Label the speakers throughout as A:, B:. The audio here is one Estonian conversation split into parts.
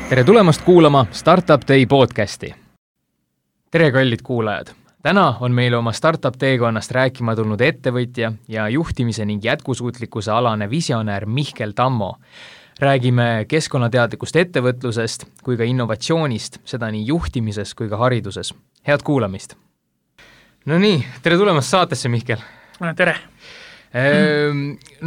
A: Tere tulemast kuulama Startup Day podcasti. Tere kallid kuulajad! Täna on meil oma Startup teekonnast rääkima tulnud ettevõtja ja juhtimise ning jätkusuutlikkuse alane visionäär Mihkel Tammo. Räägime keskkonnateadlikust ettevõtlusest kui ka innovatsioonist, seda nii juhtimises kui ka hariduses. Head kuulamist! No nii, tere tulemast saatesse, Mihkel!
B: Tere!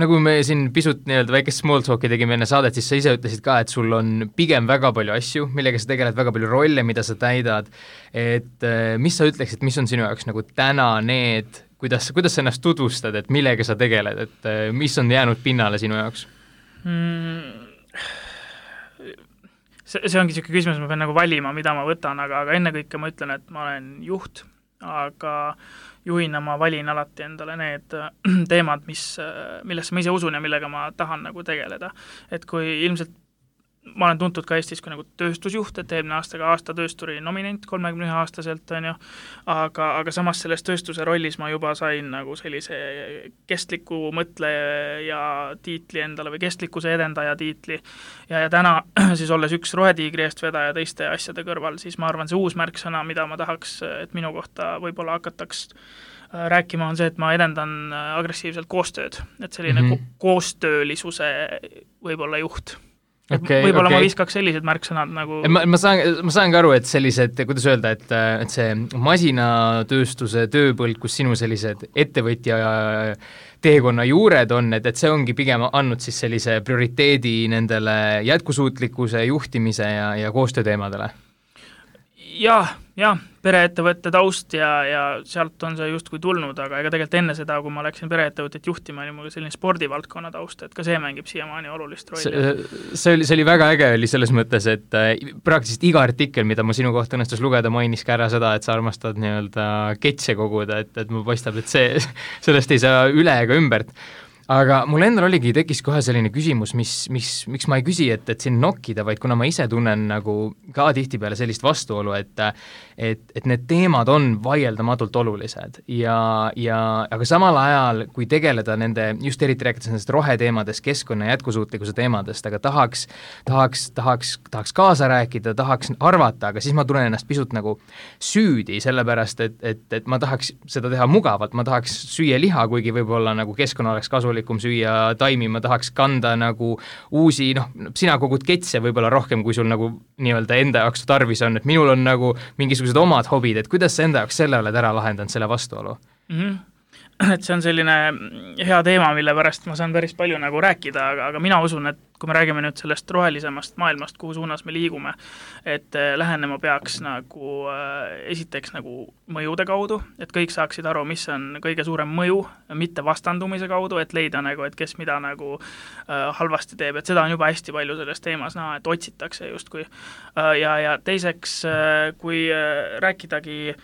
A: Nagu me siin pisut väikest small talki tegime enne saadet, siis sa ise ütlesid ka, et sul on pigem väga palju asju, millega sa tegeled, väga palju rolle, mida sa täidad. Et mis sa ütleksid, mis on sinu jaoks nagu täna need, kuidas sa ennast tutvustad, et millega sa tegeled, et mis on jäänud pinnale sinu jaoks?
B: See ongi selline küsimus, ma pean nagu valima, mida ma võtan, aga ennekõike ma ütlen, et ma olen juht, aga juhina ma valin alati endale need teemad, millesse ma ise usun ja millega ma tahan nagu tegeleda. Et kui ilmselt ma olen tuntud ka Eestis kui nagu tööstusjuht, et eelmine aasta töösturi nominent 31-aastaselt, on ju, aga samas selles tööstuse rollis ma juba sain nagu sellise kestliku mõtleja tiitli endale või kestlikkuse edendaja tiitli ja täna siis olles üks rohetiigri eestvedaja teiste asjade kõrval, siis ma arvan, see uus märksõna, mida ma tahaks, et minu kohta võib-olla hakataks rääkima, on see, et ma edendan agressiivselt koostööd, et selline koostöölisuse võib-olla juht. Võib-olla ma viskaks sellised märksõnad nagu...
A: Ma saan ka aru, et sellised, kuidas öelda, et see masinatööstuse tööpõld, kus sinu sellised ettevõtja teekonna juured on, et see ongi pigem andnud siis sellise prioriteedi nendele jätkusuutlikkuse, juhtimise ja koostööteemadele.
B: Jah, pereettevõtte taust ja sealt on see justkui tulnud, aga ega tegelikult enne seda, kui ma läksin pereettevõtet juhtima, oli mul selline spordivaldkonna taust, et ka see mängib siiamaani olulist rolli.
A: See oli väga äge oli selles mõttes, et praktiliselt iga artikkel, mida ma sinu kohta õnnestus lugeda, mainis ka ära seda, et sa armastad ketse koguda, et mul paistab, et sellest ei saa üle ega ümbert. Aga mul endal tekkis kohe selline küsimus, miks ma ei küsi, et siin nokkida, vaid kuna ma ise tunnen nagu ka tihtipeale sellist vastuolu, et need teemad on vaieldamatult olulised aga samal ajal, kui tegeleda nende, just eriti rääkides nendest roheteemadest, keskkonna jätkusuutlikkuse teemadest, aga tahaks kaasa rääkida, tahaks arvata, aga siis ma tunnen ennast pisut nagu süüdi, sellepärast, et ma tahaks seda teha mugavalt, ma tahaks süüa liha, kuigi võib-olla nagu keskkonna oleks kasulik süüa taimi, ma tahaks kanda nagu uusi, sina kogud ketse võib-olla rohkem, kui sul nagu nii-öelda enda jaoks tarvis on, et minul on nagu mingisugused omad hobid, et kuidas sa enda jaoks selle oled ära lahendanud, selle vastuolu?
B: Et see on selline hea teema, mille pärast ma saan päris palju nagu rääkida, aga mina usun, et kui me räägime nüüd sellest rohelisemast maailmast, kuhu suunas me liigume, et lähenema peaks nagu esiteks nagu mõjude kaudu, et kõik saaksid aru, mis on kõige suurem mõju, mitte vastandumise kaudu, et leida nagu, et kes mida nagu halvasti teeb, et seda on juba hästi palju selles teemas näha, et otsitakse justkui. Ja teiseks, kui rääkidagi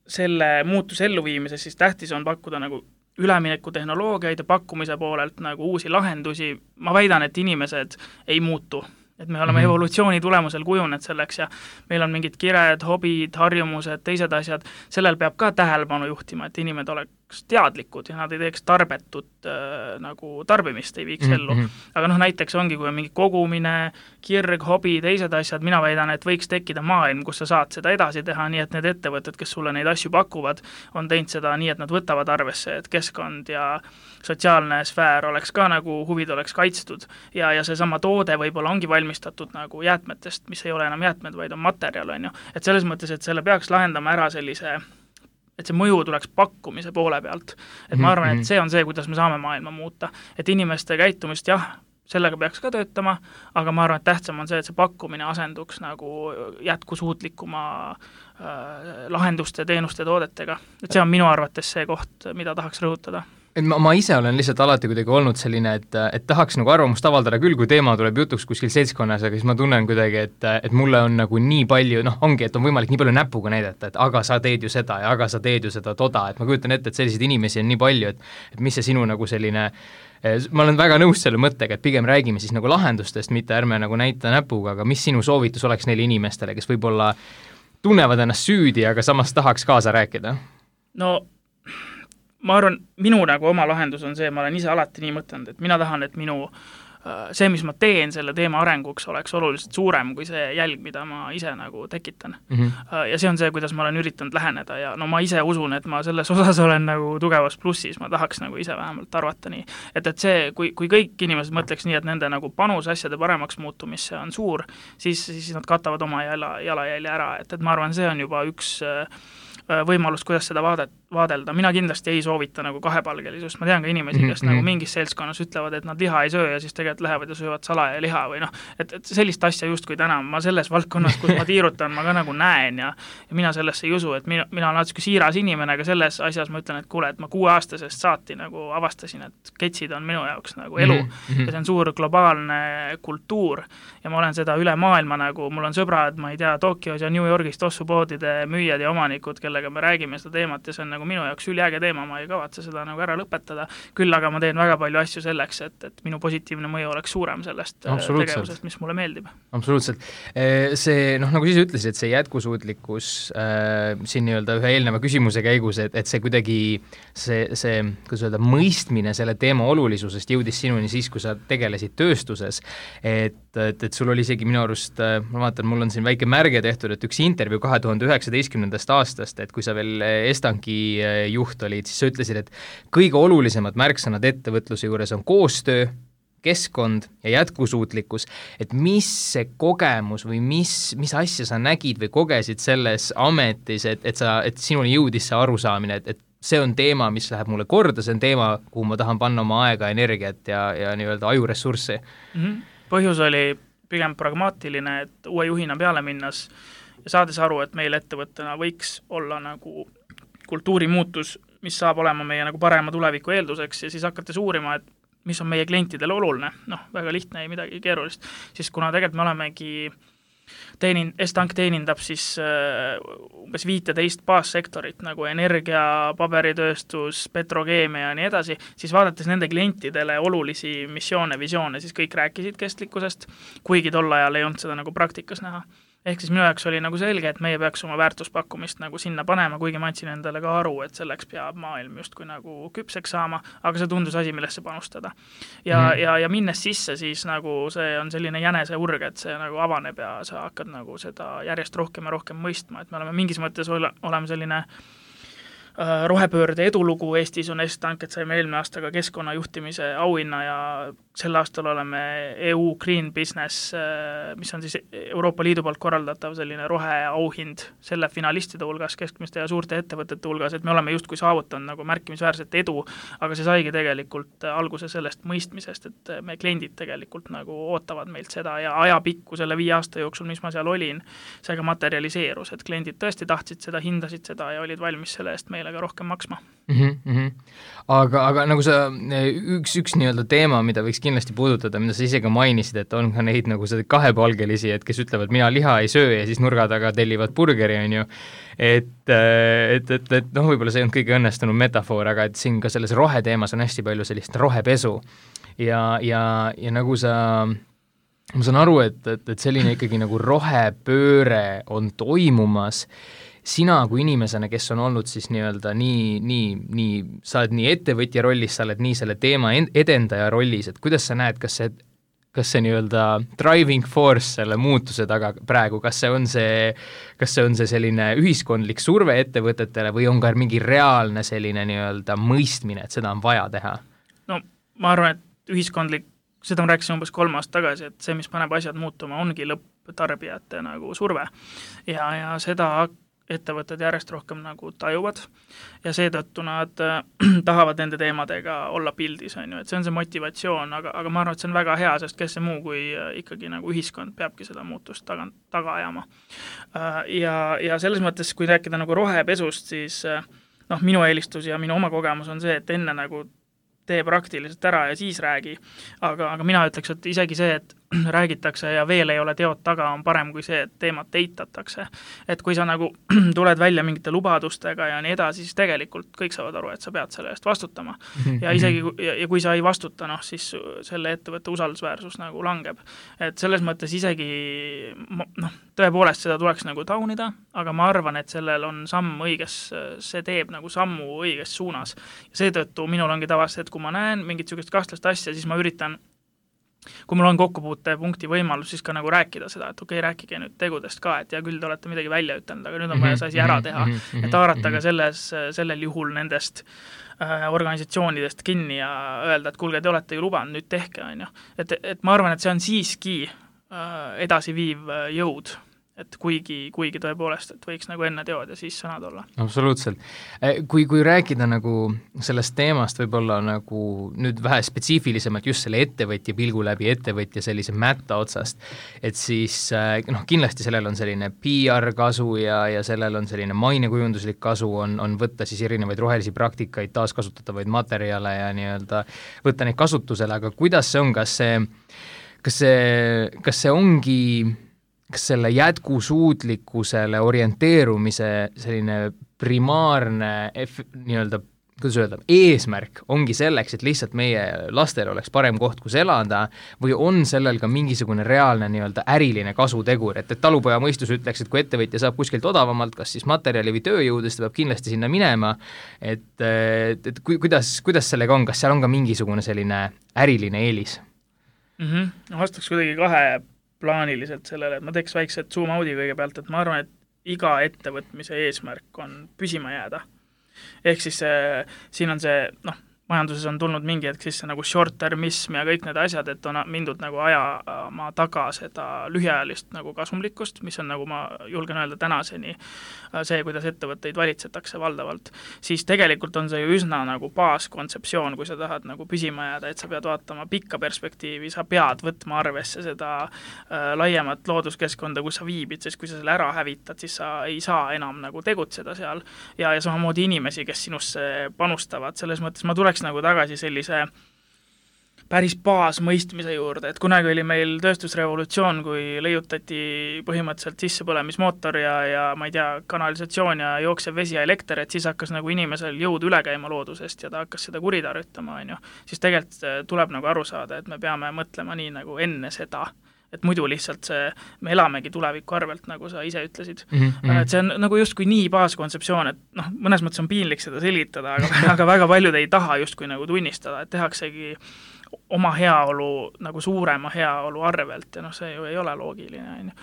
B: selle muutuse elluviimise, siis tähtis on pakkuda nagu ülemineku tehnoloogiaid ja pakkumise poolelt nagu uusi lahendusi. Ma väidan, et inimesed ei muutu, et me oleme evolutsiooni tulemusel kujunenud selleks ja meil on mingid kired, hobid, harjumused, teised asjad, sellel peab ka tähelepanu juhtima, et inimesed oleks teadlikud ja nad ei teeks tarbetut nagu tarbimist ei viiks ellu. Aga näiteks ongi, kui on mingi kogumine, kirg, hobi, teised asjad, mina väidan, et võiks tekkida maailm, kus sa saad seda edasi teha, nii et need ettevõtted, kes sulle neid asju pakuvad, on teinud seda nii, et nad võtavad arvesse, et keskkond ja sotsiaalne sfäär oleks ka nagu, huvid oleks kaitstud ja see sama toode võib-olla ongi valmistatud nagu jäätmetest, mis ei ole enam jäätmed, vaid on materjal, on ju. Et selles mõttes, et selle peaks lahendama ära sellise et see mõju tuleks pakkumise poole pealt. Et ma arvan, et see on see, kuidas me saame maailma muuta. Et inimeste käitumist, sellega peaks ka töötama, aga ma arvan, et tähtsam on see, et see pakkumine asenduks nagu jätkusuutlikuma lahenduste, teenuste, toodetega. Et see on minu arvates see koht, mida tahaks rõhutada.
A: Ma ise olen lihtsalt alati kuidagi olnud selline, et tahaks nagu arvamust avaldada küll, kui teema tuleb jutuks kuskil seltskonnas, aga siis ma tunnen kuidagi, et mulle on nagu nii palju, ongi, et on võimalik nii palju näpuga näidata, et aga sa teed ju seda ja aga sa teed ju seda toda, et ma kujutan ette, et selliseid inimesi on nii palju, et mis see sinu nagu selline, ma olen väga nõus selle mõttega, et pigem räägime siis nagu lahendustest, mitte ärme nagu näita näpuga, aga mis sinu soovitus oleks neile inimestele, kes võib-olla tunnevad ennast süüdi, aga samas tahaks kaasa rääkida?
B: No ma arvan, minu nagu oma lahendus on see, ma olen ise alati nii mõtelnud, et mina tahan, et minu see, mis ma teen selle teema arenguks, oleks oluliselt suurem kui see jälg, mida ma ise nagu tekitan. Ja see on see, kuidas ma olen üritanud läheneda ja no ma ise usun, et ma selles osas olen nagu tugevas plussis, ma tahaks nagu ise vähemalt arvata nii. Et see, kui kõik inimesed mõtleks nii, et nende nagu panus asjade paremaks muutumisse on suur, siis nad katavad oma jalajälje ära, et ma arvan, see on juba üks võimalus, kuidas seda vaadelda. Mina kindlasti ei soovita nagu kahepalgelisust. Ma tean ka inimesi, kes nagu mingis seltskonnas ütlevad, et nad liha ei söö ja siis tegelikult lähevad ja söövad salaja liha või noh, et sellist asja justkui täna ma selles valdkonnas, kus ma tiirutan, ma ka nagu näen ja mina sellesse ei usu, et mina olen natuke siiras inimene, aga selles asjas ma ütlen, et kuule, et ma 6-aastasest saati nagu avastasin, et ketsid on minu jaoks nagu elu ja see on suur globaalne kultuur ja ma olen seda üle maailma nagu, mul on sõbrad, ma ei tea, Tokyos ja New Yorgis tossupoodide müüjad ja omanikud, kellega me räägime seda teemat ja see on nagu minu jaoks üliäge teema, ma ei kavatse seda nagu ära lõpetada, küll aga ma teen väga palju asju selleks, et minu positiivne mõju oleks suurem sellest tegevusest, mis mulle meeldib.
A: Absoluutselt. See, nagu siis ütlesid, see jätkusuutlikkus siin nii-öelda ühe eelneva küsimuse käigus, et see kuidagi see kuidas öelda, mõistmine selle teema olulisusest jõudis sinuni siis, kui sa tegelesid tööstuses, et sul oli isegi minu arust, ma vaatan, mul on siin väike märge tehtud, et üks intervjuu 2019. aastast, et kui sa veel Estanki juht olid, siis sa ütlesid, et kõige olulisemad märksõnad ettevõtluse juures on koostöö, keskkond ja jätkusuutlikkus, et mis see kogemus või mis asja sa nägid või kogesid selles ametis, et sinuni jõudis see arusaamine, et see on teema, mis läheb mulle korda, see on teema, kuhu ma tahan panna oma aega, energiat ja nii-öelda ajuressurssi.
B: Põhjus oli pigem pragmaatiline, et uue juhina peale minnas ja saades aru, et meil ettevõttena võiks olla nagu kultuurimuutus, mis saab olema meie nagu parema tuleviku eelduseks ja siis hakates uurima, et mis on meie klientidele oluline, väga lihtne, ei midagi keerulist, siis kuna tegelikult me olemegi Estank teenindab siis umbes 15 baassektorit nagu energia, paberitööstus, petrokeemia ja nii edasi, siis vaadates nende klientidele olulisi missioone, visioone, siis kõik rääkisid kestlikkusest, kuigi tol ajal ei olnud seda nagu praktikas näha. Ehk siis minu jaoks oli nagu selge, et meie peaks oma väärtuspakkumist nagu sinna panema, kuigi ma andsin endale ka aru, et selleks peab maailm justkui nagu küpseks saama, aga see tundus asi, millesse panustada. Ja minnes sisse, siis nagu see on selline jänese urg, et see nagu avaneb ja sa hakkad nagu seda järjest rohkem ja rohkem mõistma, et me oleme mingis mõttes oleme selline rohepöörde edulugu Eestis on Estank, et saime eelmine aasta ka keskkonnajuhtimise auhinna ja sel aastal oleme EU Green Business, mis on siis Euroopa Liidu poolt korraldatav selline roheauhind selle finalistide hulgas, keskmiste ja suurte ettevõtete hulgas, et me oleme justkui saavutanud nagu märkimisväärset edu, aga see saigi tegelikult alguse sellest mõistmisest, et me kliendid tegelikult nagu ootavad meilt seda ja ajapikku selle 5 aasta jooksul, mis ma seal olin, see ka materialiseerus, et kliendid tõesti tahtsid seda, hindasid seda ja olid valmis selle eest meile ka rohkem maksma.
A: Aga nagu sa, üks nii-öelda teema, mida võiks kindlasti puudutada, mida sa ise ka mainisid, et on ka neid nagu seda kahepalgelisi, et kes ütlevad, mina liha ei söö ja siis nurga taga tellivad burgeri, on ju, et võib-olla see on kõige õnnestunum metafoor, aga et siin ka selles roheteemas on hästi palju sellist rohepesu ja nagu ma saan aru, et selline ikkagi nagu rohepööre on toimumas. Sina kui inimesena, kes on olnud siis nii-öelda sa oled nii ettevõtja rollis, sa oled nii selle teema edendaja rollis, et kuidas sa näed, kas see nii-öelda driving force selle muutuse taga praegu, kas see on see selline ühiskondlik surve ettevõtetele või on ka mingi reaalne selline nii-öelda mõistmine, et seda on vaja teha?
B: No ma arvan, et ühiskondlik, seda ma rääkisin umbes 3 aastat tagasi, et see, mis paneb asjad muutuma, ongi lõpptarbijate nagu surve ja seda ettevõtted järjest rohkem nagu tajuvad ja seetõttu nad tahavad nende teemadega olla pildis, on ju, et see on see motivatsioon, aga ma arvan, et see on väga hea, sest kes see muu kui ikkagi nagu ühiskond peabki seda muutust taga ajama. Ja selles mõttes, kui rääkida nagu rohepesust, siis minu eelistus ja minu oma kogemus on see, et enne nagu tee praktiliselt ära ja siis räägi, aga mina ütleks, et isegi see, et räägitakse ja veel ei ole teod taga, on parem kui see, et teemat eitatakse. Et kui sa nagu tuled välja mingite lubadustega ja nii edasi, siis tegelikult kõik saavad aru, et sa pead selle eest vastutama. Ja isegi ja kui sa ei vastuta, siis selle ettevõtte usaldusväärsus nagu langeb. Et selles mõttes isegi tõepoolest seda tuleks nagu taunida, aga ma arvan, et sellel on samm õiges, see teeb nagu sammu õiges suunas. Ja seetõttu minul ongi tavasti, et kui ma näen mingit sugust kahtlast asja, siis ma üritan kui mul on kokkupuutepunkti võimalus, siis ka nagu rääkida seda, et okei, rääkige nüüd tegudest ka, et ja küll te olete midagi välja ütelnud, aga nüüd on vaja see asi ära teha, et haarata ka sellel juhul nendest organisatsioonidest kinni ja öelda, et kuulge, te olete ju lubanud, nüüd tehke, on ju. Et ma arvan, et see on siiski edasiviiv jõud, et kuigi tõepoolest, et võiks nagu enne teod ja siis sõnad olla.
A: Absoluutselt. Kui rääkida nagu sellest teemast võib-olla nagu nüüd vähe spetsiifilisemalt just selle ettevõtja pilgu läbi ettevõtja sellise mätta otsast, et siis kindlasti sellel on selline PR kasu ja sellel on selline mainekujunduslik kasu on võtta siis erinevaid rohelisi praktikaid, taaskasutatavaid materjale ja nii-öelda võtta neid kasutusele, aga kuidas see on, kas see ongi kas selle jätkusuutlikkusele orienteerumise selline primaarne nii-öelda, kuidas öelda, eesmärk ongi selleks, et lihtsalt meie lastel oleks parem koht, kus elada, või on sellel ka mingisugune reaalne nii-öelda äriline kasutegur, et talupoja mõistus ütleks, et kui ettevõtja saab kuskilt odavamalt, kas siis materjali või tööjõudu, siis ta peab kindlasti sinna minema, et kuidas sellega on, kas seal on ka mingisugune selline äriline eelis?
B: Vastaks kuidagi plaaniliselt sellele, et ma teeks väikse zoom-out'i kõigepealt, et ma arvan, et iga ettevõtmise eesmärk on püsima jääda. Ehk siis siin on see, majanduses on tulnud mingi hetk sisse nagu short-termism ja kõik need asjad, et on mindud nagu ajama taga seda lühiajalist nagu kasumlikkust, mis on nagu ma julgen öelda tänaseni see, kuidas ettevõtteid valitsetakse valdavalt, siis tegelikult on see ju üsna nagu baaskontseptsioon, kui sa tahad nagu püsima jääda, et sa pead vaatama pikka perspektiivi, sa pead võtma arvesse seda laiemat looduskeskkonda, kus sa viibid, sest kui sa selle ära hävitad, siis sa ei saa enam nagu tegutseda seal ja samamoodi inimesi, kes sinusse panustavad, selles mõttes ma tuleks nagu tagasi sellise päris baasmõistmise juurde, et kunagi oli meil tööstusrevolutsioon, kui leiutati põhimõtteliselt sissepõlemismootor ja ma ei tea, kanalisatsioon ja jooksev vesi ja elekter, et siis hakkas nagu inimesel jõud üle käima loodusest ja ta hakkas seda kuritarvitama, on ju. Siis tegelikult tuleb nagu aru saada, et me peame mõtlema nii nagu enne seda, et muidu lihtsalt me elamegi tuleviku arvelt, nagu sa ise ütlesid. Et see on nagu justkui nii baaskontseptsioon, et mõnes mõttes on piinlik seda selgitada, aga väga paljud ei taha justkui nagu tunnistada, et tehaksegi oma heaolu nagu suurema heaolu arvelt ja see ju ei ole loogiline.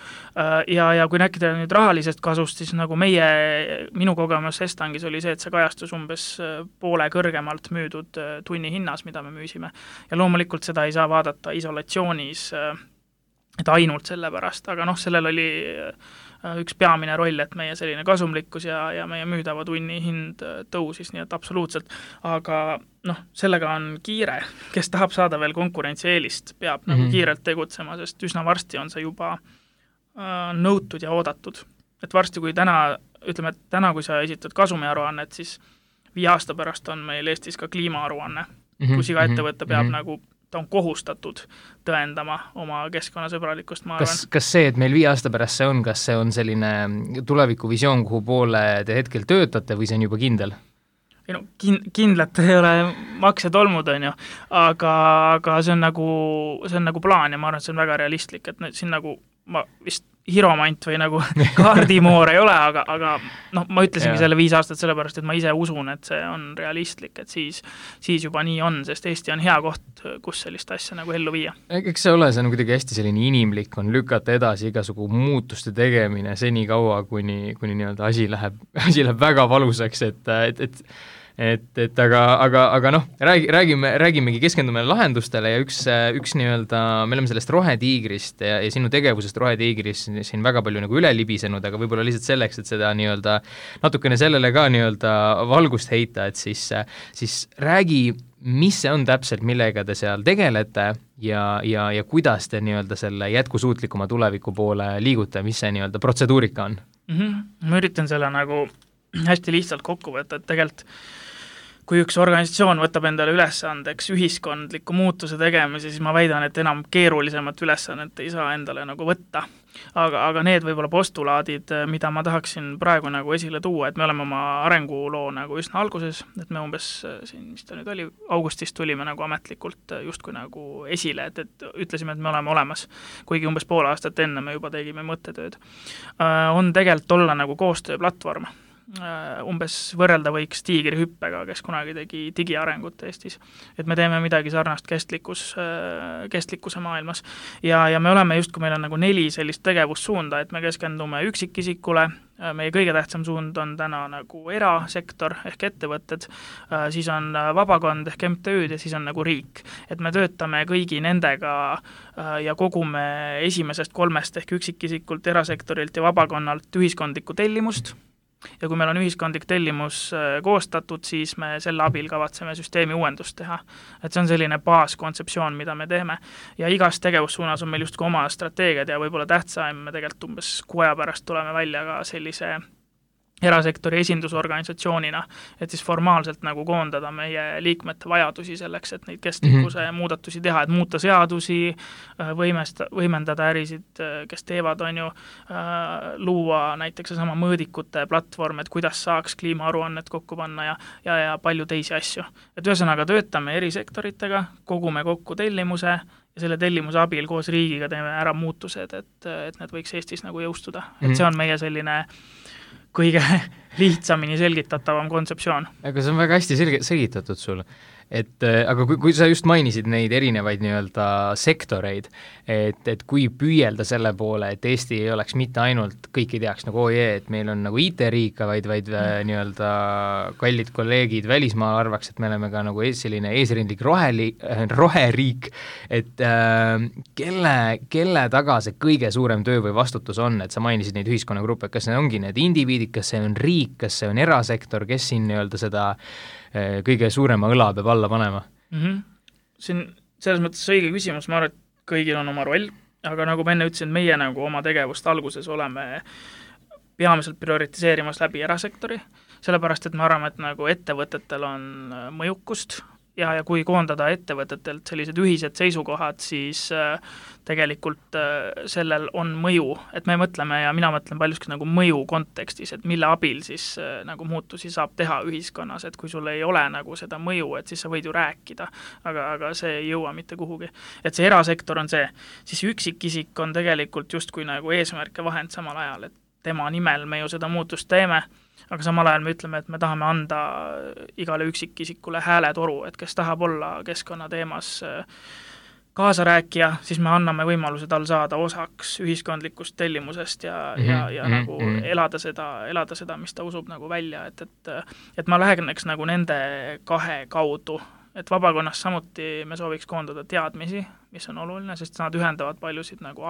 B: Ja kui rääkida nüüd rahalisest kasust, siis nagu minu kogemus Estangis oli see, et see kajastus umbes poole kõrgemalt müüdud tunni hinnas, mida me müüsime. Ja loomulikult seda ei saa vaadata isolatsioonis, et ainult selle pärast, aga sellel oli üks peamine roll, et meie selline kasumlikkus ja meie müüdava tunni hind tõusis, nii et absoluutselt, aga sellega on kiire, kes tahab saada veel konkurentsieelist, peab nagu kiirelt tegutsema, sest üsna varsti on see juba nõutud ja oodatud. Et varsti, kui täna, kui sa esitad kasumiaruannet, siis 5 aasta pärast on meil Eestis ka kliimaaruanne, kus iga ettevõte peab nagu ta on kohustatud tõendama oma keskkonnasõbralikkust, ma arvan.
A: Kas see, et meil 5 aasta pärast see on, kas see on selline tulevikuvisioon, kuhu poole te hetkel töötate või see on juba kindel?
B: Kindlalt ei ole maksed olmud, on ju, aga see on nagu plaan ja ma arvan, et see on väga realistlik, et siin nagu ma vist hiromant või nagu kaardimoor ei ole, aga ma ütlesingi selle 5 aastat sellepärast, et ma ise usun, et see on realistlik, et siis juba nii on, sest Eesti on hea koht, kus sellist asja nagu ellu viia.
A: Eks see on kuidagi hästi selline inimlik, on lükata edasi igasugu muutuste tegemine seni kaua, kuni nii-öelda asi läheb väga valusaks, aga räägimegi, keskendume lahendustele ja üks nii-öelda, me oleme sellest rohetiigrist ja sinu tegevusest rohetiigris siin väga palju nagu üle libisenud, aga võib-olla lihtsalt selleks, et seda nii-öelda natukene sellele ka nii-öelda valgust heita, et siis räägi, mis see on täpselt, millega te seal tegelete ja kuidas te nii-öelda selle jätkusuutlikuma tuleviku poole liigute, mis see nii-öelda protseduurika on?
B: Ma üritan selle nagu hästi lihtsalt kokku võtta, et tegelikult kui üks organisatsioon võtab endale ülesandeks ühiskondliku muutuse tegemise, siis ma väidan, et enam keerulisemat ülesannet ei saa endale nagu võtta. Aga need võib-olla postulaadid, mida ma tahaksin praegu nagu esile tuua, et me oleme oma arenguloo nagu üsna alguses, et me umbes siin, mis ta nüüd oli, augustis tulime nagu ametlikult justkui nagu esile, et ütlesime, et me oleme olemas, kuigi umbes pool aastat enne me juba tegime mõttetööd. On tegelikult olla nagu koostööplatvorm. umbes võrrelda võiks tiigrihüppega, kes kunagi tegi digiarengut Eestis. Et me teeme midagi sarnast kestlikkuse maailmas. Ja me oleme just, kui meil on nagu 4 sellist tegevussuunda, et me keskendume üksikisikule, meie kõige tähtsam suund on täna nagu erasektor ehk ettevõtted, siis on vabakond ehk MTÜ-d ja siis on nagu riik. Et me töötame kõigi nendega ja kogume esimesest 3 ehk üksikisikult, erasektorilt ja vabakonnalt ühiskondlikku tellimust. Ja kui meil on ühiskondlik tellimus koostatud, siis me selle abil kavatseme süsteemi uuendust teha. Et see on selline baaskontseptsioon, mida me teeme. Ja igas tegevussuunas on meil just oma strateegiad ja võib-olla tähtsaim, me tegelikult umbes 6 aja pärast tuleme välja ka sellise erasektori esindusorganisatsioonina, et siis formaalselt nagu koondada meie liikmete vajadusi selleks, et neid kestlikkuse muudatusi teha, et muuta seadusi, võimendada ärisid, kes teevad, on ju, luua näiteks sama mõõdikute platvorm, et kuidas saaks kliimaaruannet kokku panna ja palju teisi asju. Et ühesõnaga töötame erisektoritega, kogume kokku tellimuse ja selle tellimuse abil koos riigiga teeme ära muutused, et need võiks Eestis nagu jõustuda. Et see on meie selline kõige lihtsamini selgitatavam kontseptsioon.
A: Aga see on väga hästi selgitatud sul. Aga kui sa just mainisid neid erinevaid nii-öelda sektoreid, et kui püüelda selle poole, et Eesti ei oleks mitte ainult kõiki teaks nagu et meil on nagu IT-riik, vaid nii-öelda kallid kolleegid välismaal arvaks, et me oleme ka nagu selline eesrindlik roheriik, et kelle taga see kõige suurem töö või vastutus on, et sa mainisid neid ühiskonnagruppe, kas need ongi need indiviidid, kas see on riik, kas see on erasektor, kes siin nii-öelda seda kõige suurema õla peab alla panema?
B: Siin selles mõttes õige küsimus, ma arvan, et kõigil on oma roll, aga nagu ma enne ütlesin, meie nagu oma tegevust alguses oleme peamiselt prioritiseerimas läbi erasektori, sellepärast, et me arvame, et nagu ettevõtetel on mõjukust ja kui koondada ettevõtetelt sellised ühised seisukohad, siis tegelikult sellel on mõju, et me mõtleme ja mina mõtlen paljuski nagu mõju kontekstis, et mille abil siis nagu muutusi saab teha ühiskonnas, et kui sul ei ole nagu seda mõju, et siis sa võid ju rääkida, aga see ei jõua mitte kuhugi. Et see erasektor on see, siis üksikisik on tegelikult justkui nagu eesmärk ja vahend samal ajal, et tema nimel me ju seda muutust teeme, aga samal ajal me ütleme, et me tahame anda igale üksikisikule hääletoru, et kes tahab olla keskkonnateemas kaasarääkija, siis me anname võimaluse tal saada osaks ühiskondlikust tellimusest ja nagu elada seda, mis ta usub nagu välja, et ma läheneks nagu nende 2 kaudu, et vabakonnas samuti me sooviks koondada teadmisi, mis on oluline, sest nad ühendavad paljusid nagu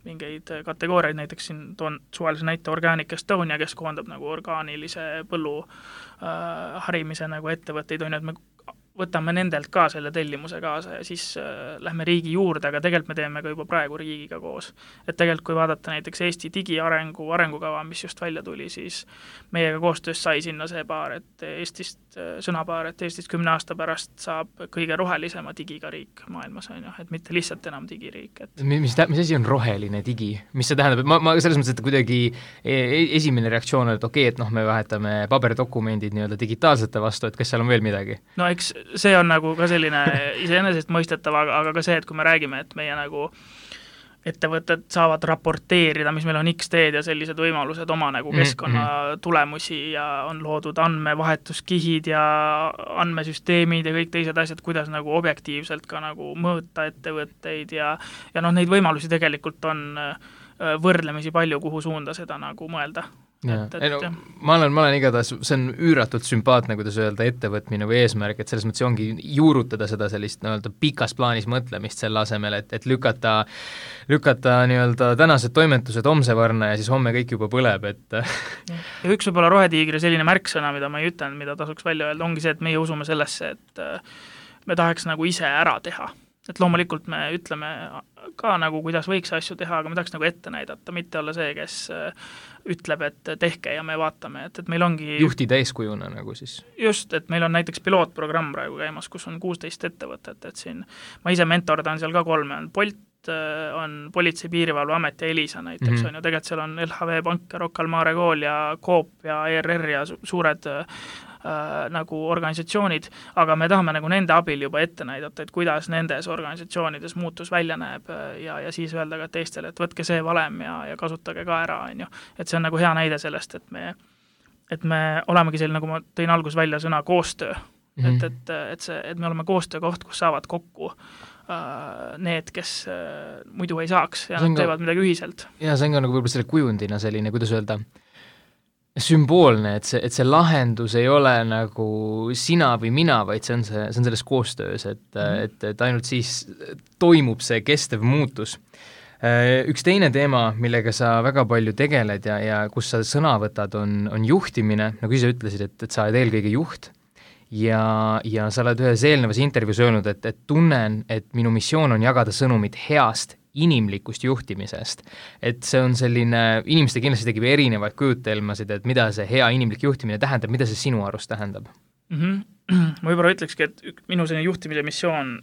B: mingeid kategooriaid, näiteks siin toon suvalise näite Organic Estonia, kes koondab nagu orgaanilise põllu harimise nagu ettevõtteid, on ju, et me võtame nendelt ka selle tellimuse kaasa ja siis lähme riigi juurde, aga tegelikult me teeme ka juba praegu riigiga koos. Et tegelikult kui vaadata näiteks Eesti digiarengu arengukava, mis just välja tuli, siis meiega koostöös sai sinna see sõnapaar, et Eestist 10 aasta pärast saab kõige rohelisema digiga riik maailmas, on ju, et mitte lihtsalt enam digiriik. Et...
A: Mis asi on roheline digi? Mis see tähendab? Ma selles mõttes, et kuidagi esimene reaktsioon on, et okei, et me vahetame paberdokumendid nii-öelda digitaalsete vastu, et kas seal on veel midagi?
B: No eks see on nagu ka selline iseenesest mõistetav, aga ka see, et kui me räägime, et meie nagu ettevõtted saavad raporteerida, mis meil on XD-d ja sellised võimalused oma nagu keskkonna tulemusi ja on loodud andmevahetuskihid ja andmesüsteemid ja kõik teised asjad, kuidas nagu objektiivselt ka nagu mõõta ettevõtteid ja neid võimalusi tegelikult on võrdlemisi palju, kuhu suunda seda nagu mõelda.
A: Ma olen igatahes, see on üüratult sümpaatne, kuidas öelda, ettevõtmine või eesmärk, et selles mõttes ongi juurutada seda sellist pikas plaanis mõtlemist selle asemel, et lükata nii-öelda tänased toimetused homse varna ja siis homme kõik juba põleb, et
B: ja üks võib-olla rohetiigri selline märksõna, mida ma ei ütlen, mida tasuks välja öelda, ongi see, et meie usume sellesse, et me tahaks nagu ise ära teha. Et loomulikult me ütleme ka nagu, kuidas võiks asju teha, aga me tahaks nagu ette näidata, mitte olla see, kes ütleb, et tehke ja me vaatame, et meil ongi...
A: Juhtida eeskujuna nagu siis.
B: Just, et meil on näiteks pilootprogramm praegu käimas, kus on 16 ettevõtet, et siin ma ise mentordan seal ka 3, on Bolt, on Politsei- Piirivalveamet ja Elisa näiteks, on ju, tegelikult seal on LHV Pank ja Rocca al Mare Kool ja Coop ja ERR ja suured nagu organisatsioonid, aga me tahame nagu nende abil juba ette näidata, et kuidas nendes organisatsioonides muutus välja näeb ja siis öelda ka teistele, et võtke see valem ja kasutage ka ära, on ju. Et see on nagu hea näide sellest, et me et me olemegi selline, nagu ma tõin algus välja sõna koostöö, et me oleme koostöökoht, kus saavad kokku need, kes muidu ei saaks ja nad teevad midagi ühiselt.
A: Ja see on ka nagu võib-olla selle kujundina selline, kuidas öelda, sümboolne, et see lahendus ei ole nagu sina või mina, vaid see on selles koostöös, et ainult siis toimub see kestev muutus. Üks teine teema, millega sa väga palju tegeled ja kus sa sõna võtad, on juhtimine, nagu ise ütlesid, et sa oled eelkõige juht ja sa oled ühes eelnevas intervjuus öelnud, et tunnen, et minu missioon on jagada sõnumit heast inimlikust juhtimisest. Et see on selline, inimeste kindlasti tegib erinevaid kujutelmasid, et mida see hea inimlik juhtimine tähendab, mida see sinu arust tähendab?
B: Ma võib-olla ütlekski, et minu selline juhtimise missioon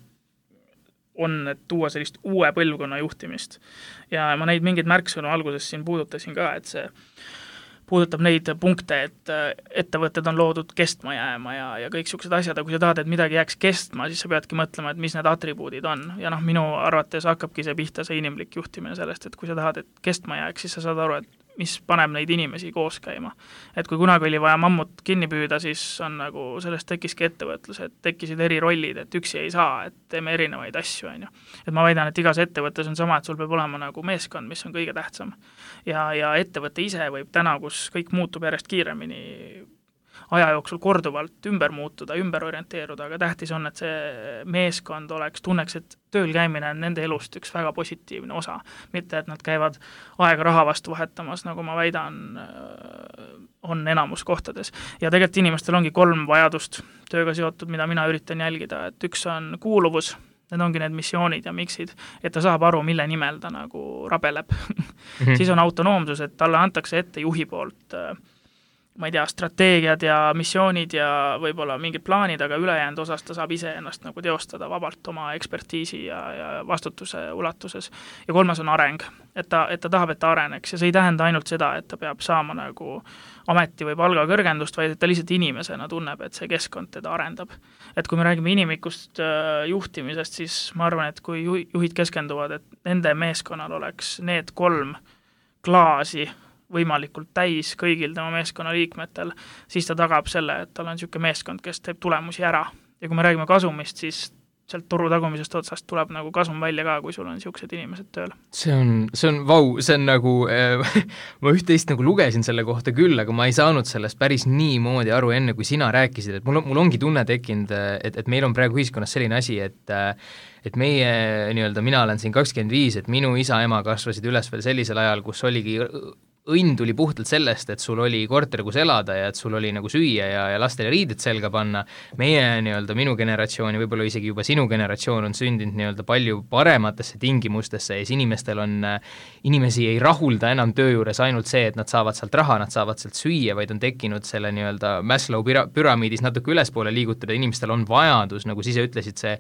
B: on, et tuua sellist uue põlvkonna juhtimist. Ja ma neid mingeid märksõnu alguses siin puudutasin ka, et see puudutab neid punkte, et ettevõtted on loodud kestma jääma ja kõik niisugused asjad, aga kui sa tahad, et midagi jääks kestma, siis sa peadki mõtlema, et mis need atribuudid on. Ja minu arvates hakkabki see pihta see inimlik juhtimine sellest, et kui sa tahad, et kestma jääks, siis sa saad aru, et mis paneb neid inimesi koos käima. Et kui kunagi oli vaja mammut kinni püüda, siis on nagu sellest tekkiski ettevõtlus, et tekkisid eri rollid, et üksi ei saa, et teeme erinevaid asju, on ju. Et ma väidan, et igas ettevõttes on sama, et sul peab olema nagu meeskond, mis on kõige tähtsam. Ja ettevõte ise võib täna, kus kõik muutub järjest kiiremini, aja jooksul korduvalt ümber muutuda, ümber orienteeruda, aga tähtis on, et see meeskond tunneks, et tööl käimine on nende elust üks väga positiivne osa, mitte et nad käivad aega raha vastu vahetamas, nagu ma väidan, on enamus kohtades. Ja tegelikult inimestel ongi 3 vajadust tööga seotud, mida mina üritan jälgida, et üks on kuuluvus, need ongi need missioonid ja miksid, et ta saab aru, mille nimel ta nagu rabeleb. Siis on autonoomsus, et talle antakse ette juhi poolt ma ei tea, strateegiad ja missioonid ja võib-olla mingid plaanid, aga ülejäänud osas ta saab ise ennast nagu teostada vabalt oma ekspertiisi ja vastutuse ulatuses. Ja 3. on areng, et ta tahab, et ta areneks ja see ei tähenda ainult seda, et ta peab saama nagu ameti või palga kõrgendust, vaid et ta lihtsalt inimesena tunneb, et see keskkond teda arendab. Et kui me räägime inimikust juhtimisest, siis ma arvan, et kui juhid keskenduvad, et nende meeskonnal oleks need 3 klaasi võimalikult täis kõigil tema meeskonna liikmetel, siis ta tagab selle, et tal on niisugune meeskond, kes teeb tulemusi ära. Ja kui me räägime kasumist, siis sealt toru tagumisest otsast tuleb nagu kasum välja ka, kui sul on niisugused inimesed tööl.
A: See on vau, see on nagu, ma üht-teist nagu lugesin selle kohta küll, aga ma ei saanud sellest päris niimoodi aru enne, kui sina rääkisid, et mul ongi tunne tekkinud, et meil on praegu ühiskonnas selline asi, et meie, mina olen siin 25, et minu isa-ema kasvasid üles veel sellisel ajal, kus oligi õnn tuli puhtalt sellest, et sul oli korter, kus elada ja et sul oli nagu süüa ja lastele riided selga panna. Meie minu generatsiooni, võib-olla isegi juba sinu generatsioon on sündinud palju parematesse tingimustesse ja inimestel inimesi ei rahulda enam töö juures ainult see, et nad saavad sealt raha, nad saavad sealt süüa, vaid on tekkinud selle Maslow püramiidis natuke ülespoole liigutada, inimestel on vajadus, nagu sa ise ütlesid, see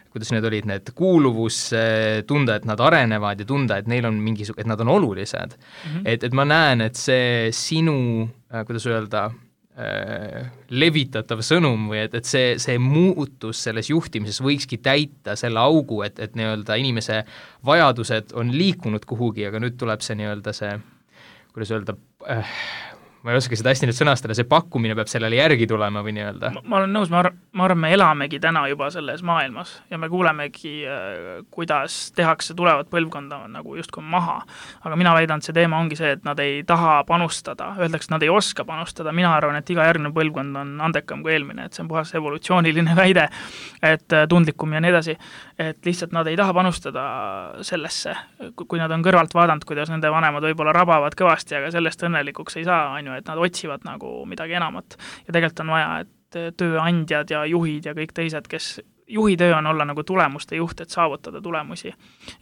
A: kuidas need olid, need kuuluvus, tunda, et nad arenevad ja tunda, et neil on et nad on olulised. Et ma näen, et see sinu, kuidas öelda, levitatav sõnum või et see muutus selles juhtimises võikski täita selle augu, et inimese vajadused on liikunud kuhugi, aga nüüd tuleb see see, kuidas öelda, ma ei oska seda hästi nüüd sõnastada, see pakkumine peab sellele järgi tulema või nii-öelda.
B: Ma olen nõus, ma arvan, me elamegi täna juba selles maailmas ja me kuulemegi, kuidas tehakse tulevat põlvkonda nagu justkui maha. Aga mina väidan, et see teema ongi see, et nad ei taha panustada, öeldakse, et nad ei oska panustada. Mina arvan, et iga järgnev põlvkond on andekam kui eelmine, et see on puhas evolutsiooniline väide, et tundlikum ja nii edasi. Et lihtsalt nad ei taha panustada sellesse, kui nad on kõrvalt vaadanud, kuidas nende vanemad võib-olla rabavad kõvasti, aga sellest õnnelikuks ei saa, et nad otsivad nagu midagi enamat ja tegelikult on vaja, et tööandjad ja juhid ja kõik teised, kes juhi töö on olla nagu tulemuste juht, et saavutada tulemusi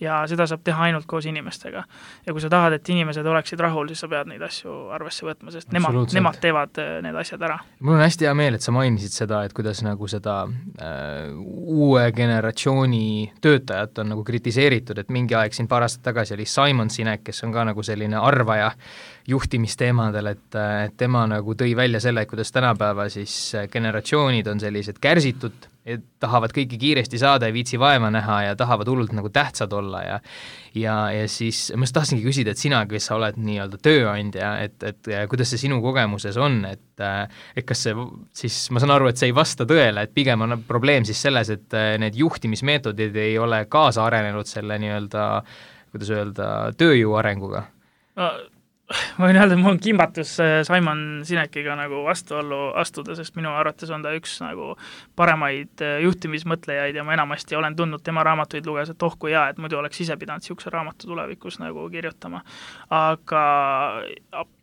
B: ja seda saab teha ainult koos inimestega. Ja kui sa tahad, et inimesed oleksid rahul, siis sa pead neid asju arvesse võtma, sest nemad teevad need asjad ära.
A: Mul on hästi hea meel, et sa mainisid seda, et kuidas nagu seda uue generatsiooni töötajat on nagu kritiseeritud, et mingi aeg siin paar aastat tagasi oli Simon Sinek, kes on ka nagu selline arvaja juhtimisteemadel, et tema nagu tõi välja selle, et kuidas tänapäeva siis generatsioonid on sellised kärsitud tahavad kõike kiiresti saada ja viitsi vaeva näha ja tahavad hullult nagu tähtsad olla ja siis ma tahtsingi küsida, et sina, kes sa oled nii-öelda tööandja, et kuidas see sinu kogemuses on, et kas see siis, ma saan aru, et see ei vasta tõele, et pigem on probleem siis selles, et need juhtimismeetodid ei ole kaasa arenenud selle nii-öelda, kuidas öelda, tööjõu arenguga?
B: Ma võin öelda, et mul on kimbatus Simon Sinekiga nagu vastuollu astuda, sest minu arvates on ta üks nagu paremaid juhtimismõtlejaid ja ma enamasti olen tundnud tema raamatuid luges, et kui hea, et muidu oleks ise pidanud niisuguse raamatu tulevikus nagu kirjutama.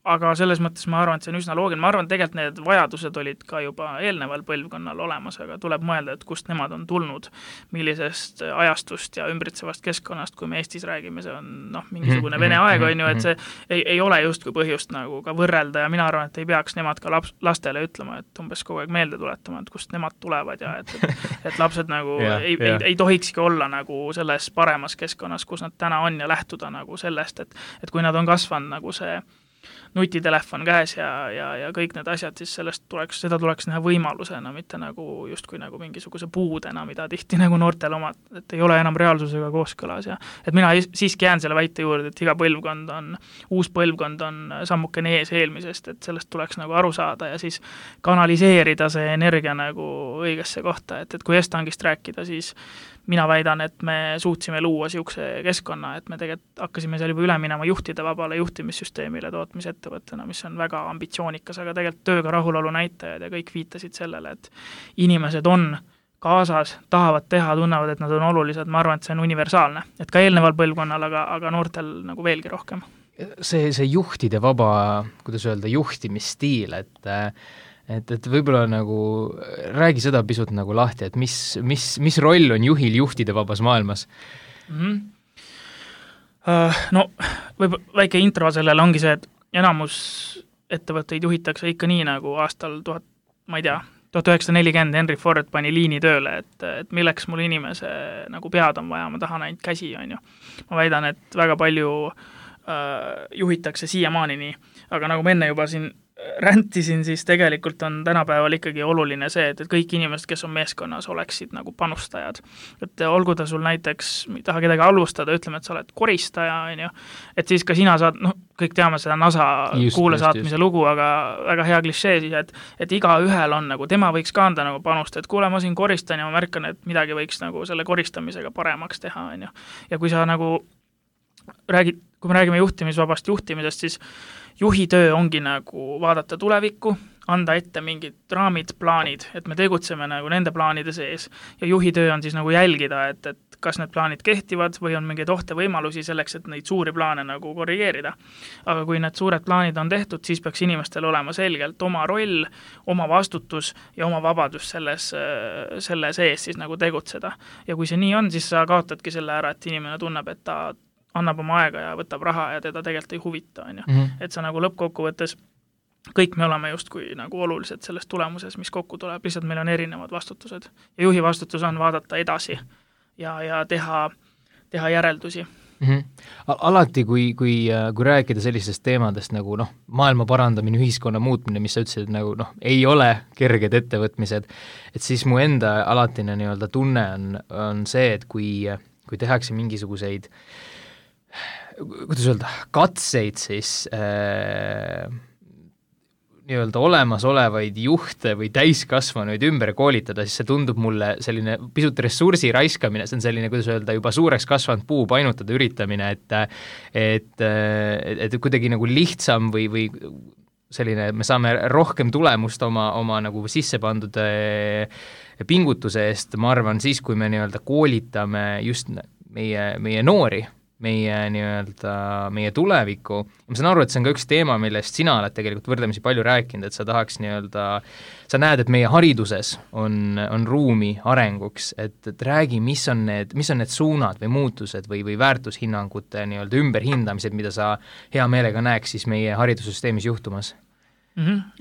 B: Aga selles mõttes ma arvan, et see on üsna loogiline. Ma arvan, et tegelikult need vajadused olid ka juba eelneval põlvkonnal olemas, aga tuleb mõelda, et kust nemad on tulnud, millisest ajastust ja ümbritsevast keskkonnast, kui me Eestis räägime, see on mingisugune Vene aeg, on ju, et see ei ole justkui põhjust nagu ka võrrelda ja mina arvan, et ei peaks nemad ka lastele ütlema, et umbes kogu aeg meelde tuletama, et kust nemad tulevad ja et lapsed nagu ei tohikski olla nagu selles paremas keskkonnas, kus nad täna on ja lähtuda nagu sellest, et kui nad on kasvanud nagu see nutitelefon käes ja kõik need asjad, siis seda tuleks näha võimalusena, mitte nagu justkui nagu mingisuguse puudena, mida tihti nagu noortel omad, et ei ole enam reaalsusega kooskõlas ja et mina siiski jään selle väite juurde, et iga uus põlvkond on sammukene ees eelmisest, et sellest tuleks nagu aru saada ja siis kanaliseerida see energia nagu õigesse kohta, et kui Estangist rääkida, siis mina väidan, et me suutsime luua niisuguse keskkonna, et me tegelikult hakkasime seal juba üle minema juhtide vabale juhtimissüsteemile tootmisettevõttena, mis on väga ambitsioonikas, aga tegelikult tööga rahulolu näitajad ja kõik viitasid sellele, et inimesed on kaasas, tahavad teha, tunnevad, et nad on olulised, ma arvan, et see on universaalne. Et ka eelneval põlvkonnal, aga noortel nagu veelgi rohkem.
A: See juhtide vaba, kuidas öelda, juhtimisstiil, et võib-olla nagu räägi seda pisut nagu lahti, et mis roll on juhil juhtide vabas maailmas?
B: No, väike intro sellele ongi see, et enamus ettevõtteid juhitakse ikka nii nagu aastal 1940 Henry Ford pani liini tööle, et milleks mul inimese nagu pead on vaja, ma tahan ainult käsi, on ju. Ma väidan, et väga palju juhitakse siiamaani nii, aga nagu ma enne juba siin räntisin, siis tegelikult on tänapäeval ikkagi oluline see, et kõik inimesed, kes on meeskonnas, oleksid nagu panustajad. Et olgu ta sul näiteks, ei taha kedagi halvustada, ütleme, et sa oled koristaja, on ju, et siis ka sina saad, kõik teame seda NASA kuule saatmise lugu, aga väga hea klišee siis, et iga ühel on nagu, tema võiks ka anda nagu panust, et kuule, ma siin koristan ja ma märkan, et midagi võiks nagu selle koristamisega paremaks teha, on ju. Ja kui sa nagu kui me räägime juhtimisvabast juhtimisest, siis juhi töö ongi nagu vaadata tulevikku, anda ette mingid raamid, plaanid, et me tegutseme nagu nende plaanide sees ja juhi töö on siis nagu jälgida, et kas need plaanid kehtivad või on mingeid ohte võimalusi selleks, et neid suuri plaane nagu korrigeerida. Aga kui need suured plaanid on tehtud, siis peaks inimestel olema selgelt oma roll, oma vastutus ja oma vabadus selle sees siis nagu tegutseda. Ja kui see nii on, siis sa kaotadki selle ära, et inimene tunneb, et ta annab oma aega ja võtab raha ja teda tegelikult ei huvita, on ju. Et sa nagu lõppkokkuvõttes, kõik me oleme justkui nagu olulised selles tulemuses, mis kokku tuleb, lihtsalt meil on erinevad vastutused. Ja juhi vastutus on vaadata edasi ja teha järeldusi.
A: Alati, kui rääkida sellistest teemadest nagu maailma parandamine, ühiskonna muutmine, mis sa ütlesid, nagu ei ole kerged ettevõtmised, et siis mu enda alatine nii-öelda tunne on see, et kui tehakse mingisuguseid kuidas öelda, katseid siis nii-öelda olemasolevaid juhte või täiskasvanuid ümber koolitada, siis see tundub mulle selline pisut ressursi raiskamine, see on selline, kuidas öelda, juba suureks kasvanud puu painutada üritamine, et kuidagi nagu lihtsam või selline, me saame rohkem tulemust oma nagu sisse pandud pingutuse eest, ma arvan, siis kui me nii-öelda koolitame just meie noori, meie tulevikku. Ma saan aru, et see on ka üks teema, millest sina oled tegelikult võrdlemisi palju rääkinud, et sa tahaks sa näed, et meie hariduses on ruumi arenguks, et räägi, mis on need suunad või muutused või väärtushinnangute nii-öelda ümberhindamised, mida sa hea meelega näeks siis meie haridussüsteemis juhtumas?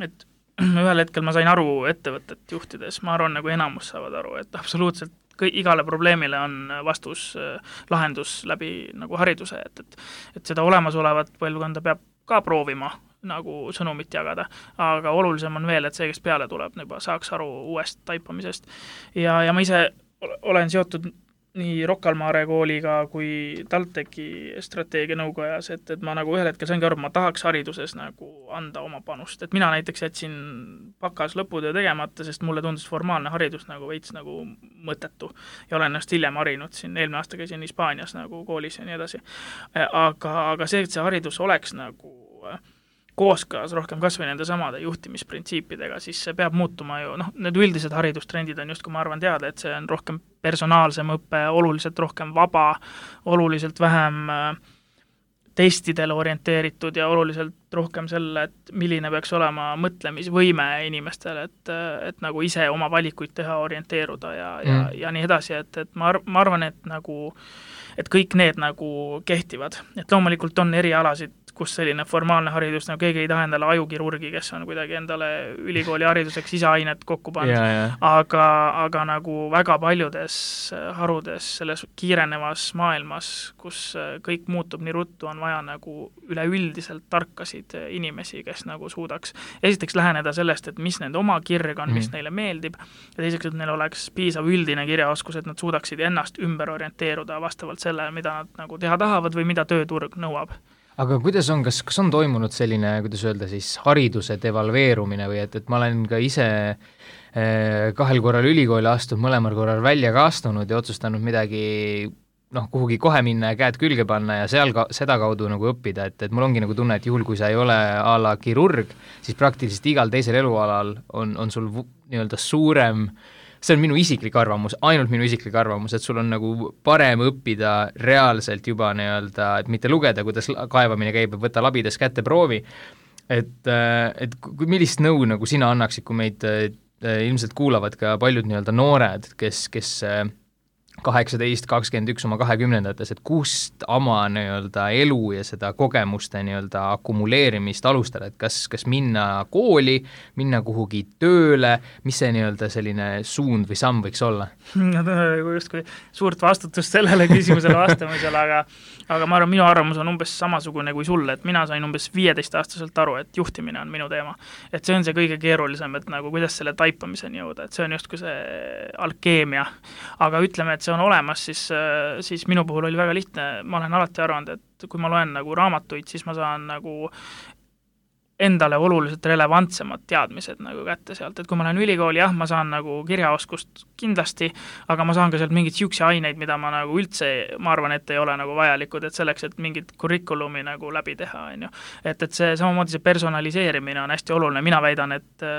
B: Et ühel hetkel ma sain aru ettevõtet juhtides, ma arvan, nagu enamus saavad aru, et absoluutselt igale probleemile on lahendus läbi nagu hariduse, et seda olemasolevat põlvkonda peab ka proovima nagu sõnumit jagada, aga olulisem on veel, et see, kes peale tuleb, juba saaks aru uuest taipamisest. Ja ma ise olen seotud nii Rocca al Mare kooliga kui TalTechi strateegianõukojas, et ma nagu ühel hetkel saingi aru, ma tahaks hariduses nagu anda oma panust, et mina näiteks jätsin bakas lõputöö tegemata, sest mulle tundus formaalne haridus nagu veits nagu mõttetu ja olen ennast hiljem harinud siin, eelmine aasta käisin Hispaanias nagu koolis ja nii edasi. Aga see, et see haridus oleks nagu kooskõlas rohkem kasvõi nende samade juhtimisprintsiipidega, siis see peab muutuma ju, need üldised haridustrendid on just, kui ma arvan teada, et see on rohkem personaalsem õpe, oluliselt rohkem vaba, oluliselt vähem testidele orienteeritud ja oluliselt rohkem selle, et milline peaks olema mõtlemisvõime inimestel, et nagu ise oma valikuid teha, orienteeruda ja nii edasi, et ma arvan, et nagu et kõik need nagu kehtivad, et loomulikult on erialasid, kus selline formaalne haridus, nagu keegi ei taha endale ajukirurgi, kes on kuidagi endale ülikooli hariduseks iseainet kokku pannud, aga nagu väga paljudes harudes selles kiirenevas maailmas, kus kõik muutub nii ruttu, on vaja nagu üleüldiselt tarkasid inimesi, kes nagu suudaks esiteks läheneda sellest, et mis nende oma kirg on, mis neile meeldib, ja teiseks, et neil oleks piisav üldine kirjaoskus, et nad suudaksid ennast ümber orienteeruda vastavalt sellele, mida nad nagu teha tahavad või mida tööturg nõuab.
A: Aga kuidas on, kas on toimunud selline, kuidas öelda siis, hariduse devalveerumine või et ma olen ka ise 2 korral ülikooli astunud, mõlemal korral välja ka astunud ja otsustanud midagi kuhugi kohe minna ja käed külge panna ja seal seda kaudu nagu õppida, et mul ongi nagu tunne, et juhul, kui sa ei ole a la kirurg, siis praktiliselt igal teisel elualal on sul nii-öelda suurem, see on minu isiklik arvamus, ainult minu isiklik arvamus, et sul on nagu parem õppida reaalselt juba nii-öelda, et mitte lugeda, kuidas kaevamine käib, võtta labides kätte proovi, et millist nõu nagu sina annaksid, kui meid ilmselt kuulavad ka paljud nii-öelda noored, kes 18, 21 oma 20-ndates, et kust oma nii-öelda elu ja seda kogemuste nii-öelda akumuleerimist alustada, et kas minna kooli, minna kuhugi tööle, mis see nii-öelda selline suund või samm võiks olla?
B: Just kui suurt vastutust sellele küsimusele vastamisel, aga ma arvan, minu arvamus on umbes samasugune kui sulle, et mina sain umbes 15-aastaselt aru, et juhtimine on minu teema. Et see on see kõige keerulisem, et nagu kuidas selle taipamiseni jõuda, et see on justkui see alkeemia. Aga ütleme, et see on olemas, siis minu puhul oli väga lihtne, ma olen alati arvanud, et kui ma loen nagu raamatuid, siis ma saan nagu endale oluliselt relevantsemad teadmised nagu kätte sealt, et kui ma lähen ülikooli, jah, ma saan nagu kirjaoskust kindlasti, aga ma saan ka sealt mingit siukse aineid, mida ma nagu üldse, ma arvan, et ei ole nagu vajalikud, et selleks, et mingit kurikulumi nagu läbi teha, on ju. Et see samamoodi see personaliseerimine on hästi oluline, mina väidan, et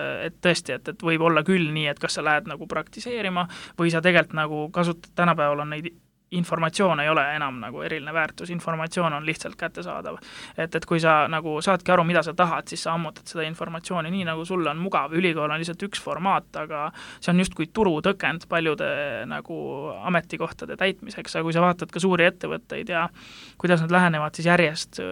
B: tõesti, et võib olla küll nii, et kas sa lähed nagu praktiseerima või sa tegelikult nagu kasutad, tänapäeval on neid informatsioon ei ole enam nagu eriline väärtus, informatsioon on lihtsalt kättesaadav. Et kui sa nagu saadki aru, mida sa tahad, siis sa ammutad seda informatsiooni nii, nagu sulle on mugav. Ülikool on lihtsalt üks formaat, aga see on justkui turutõkend paljude nagu ametikohtade täitmiseks, aga kui sa vaatad ka suuri ettevõtteid ja kuidas nad lähenevad, siis järjest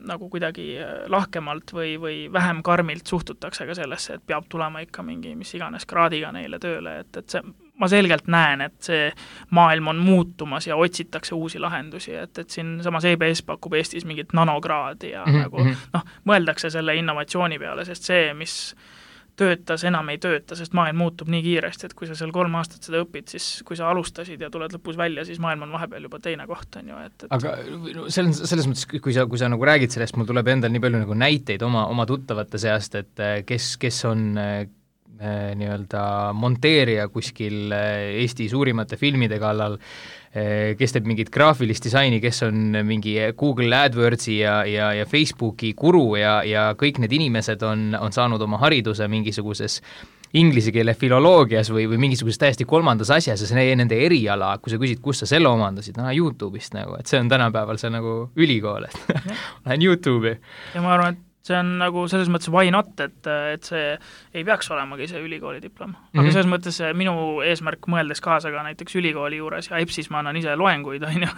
B: nagu kuidagi lahkemalt või vähem karmilt suhtutakse ka sellesse, et peab tulema ikka mingi mis iganes kraadiga neile tööle, et see, ma selgelt näen, et see maailm on muutumas ja otsitakse uusi lahendusi, et siin samas EBS pakub Eestis mingit nanokraadi ja nagu mõeldakse selle innovatsiooni peale, sest see, mis töötas, enam ei tööta, sest maailm muutub nii kiiresti, et kui sa seal 3 aastat seda õpid, siis kui sa alustasid ja tuled lõpus välja, siis maailm on vahepeal juba teine koht, on ju, et
A: aga selles mõttes, kui sa nagu räägid sellest, mul tuleb endal nii palju nagu näiteid oma tuttavate seast, et kes on nii-öelda monteerija kuskil Eesti suurimate filmide kallal, kes teeb mingit graafilist disaini, kes on mingi Google AdWordsi ja Facebooki guru ja kõik need inimesed on saanud oma hariduse mingisuguses inglise keele filoloogias või mingisuguses täiesti kolmandas asjas ja see nende eriala, kui sa küsid, kus sa selle omandasid, YouTube'ist nagu, et see on tänapäeval see nagu ülikool, et lähen YouTube'i.
B: Ja ma arvan, et see on nagu selles mõttes why not, et see ei peaks olemagi see ülikooli diplom. Aga selles mõttes minu eesmärk mõeldes kaasa ka näiteks ülikooli juures ja EBS-is ma annan ise loenguid, on ju,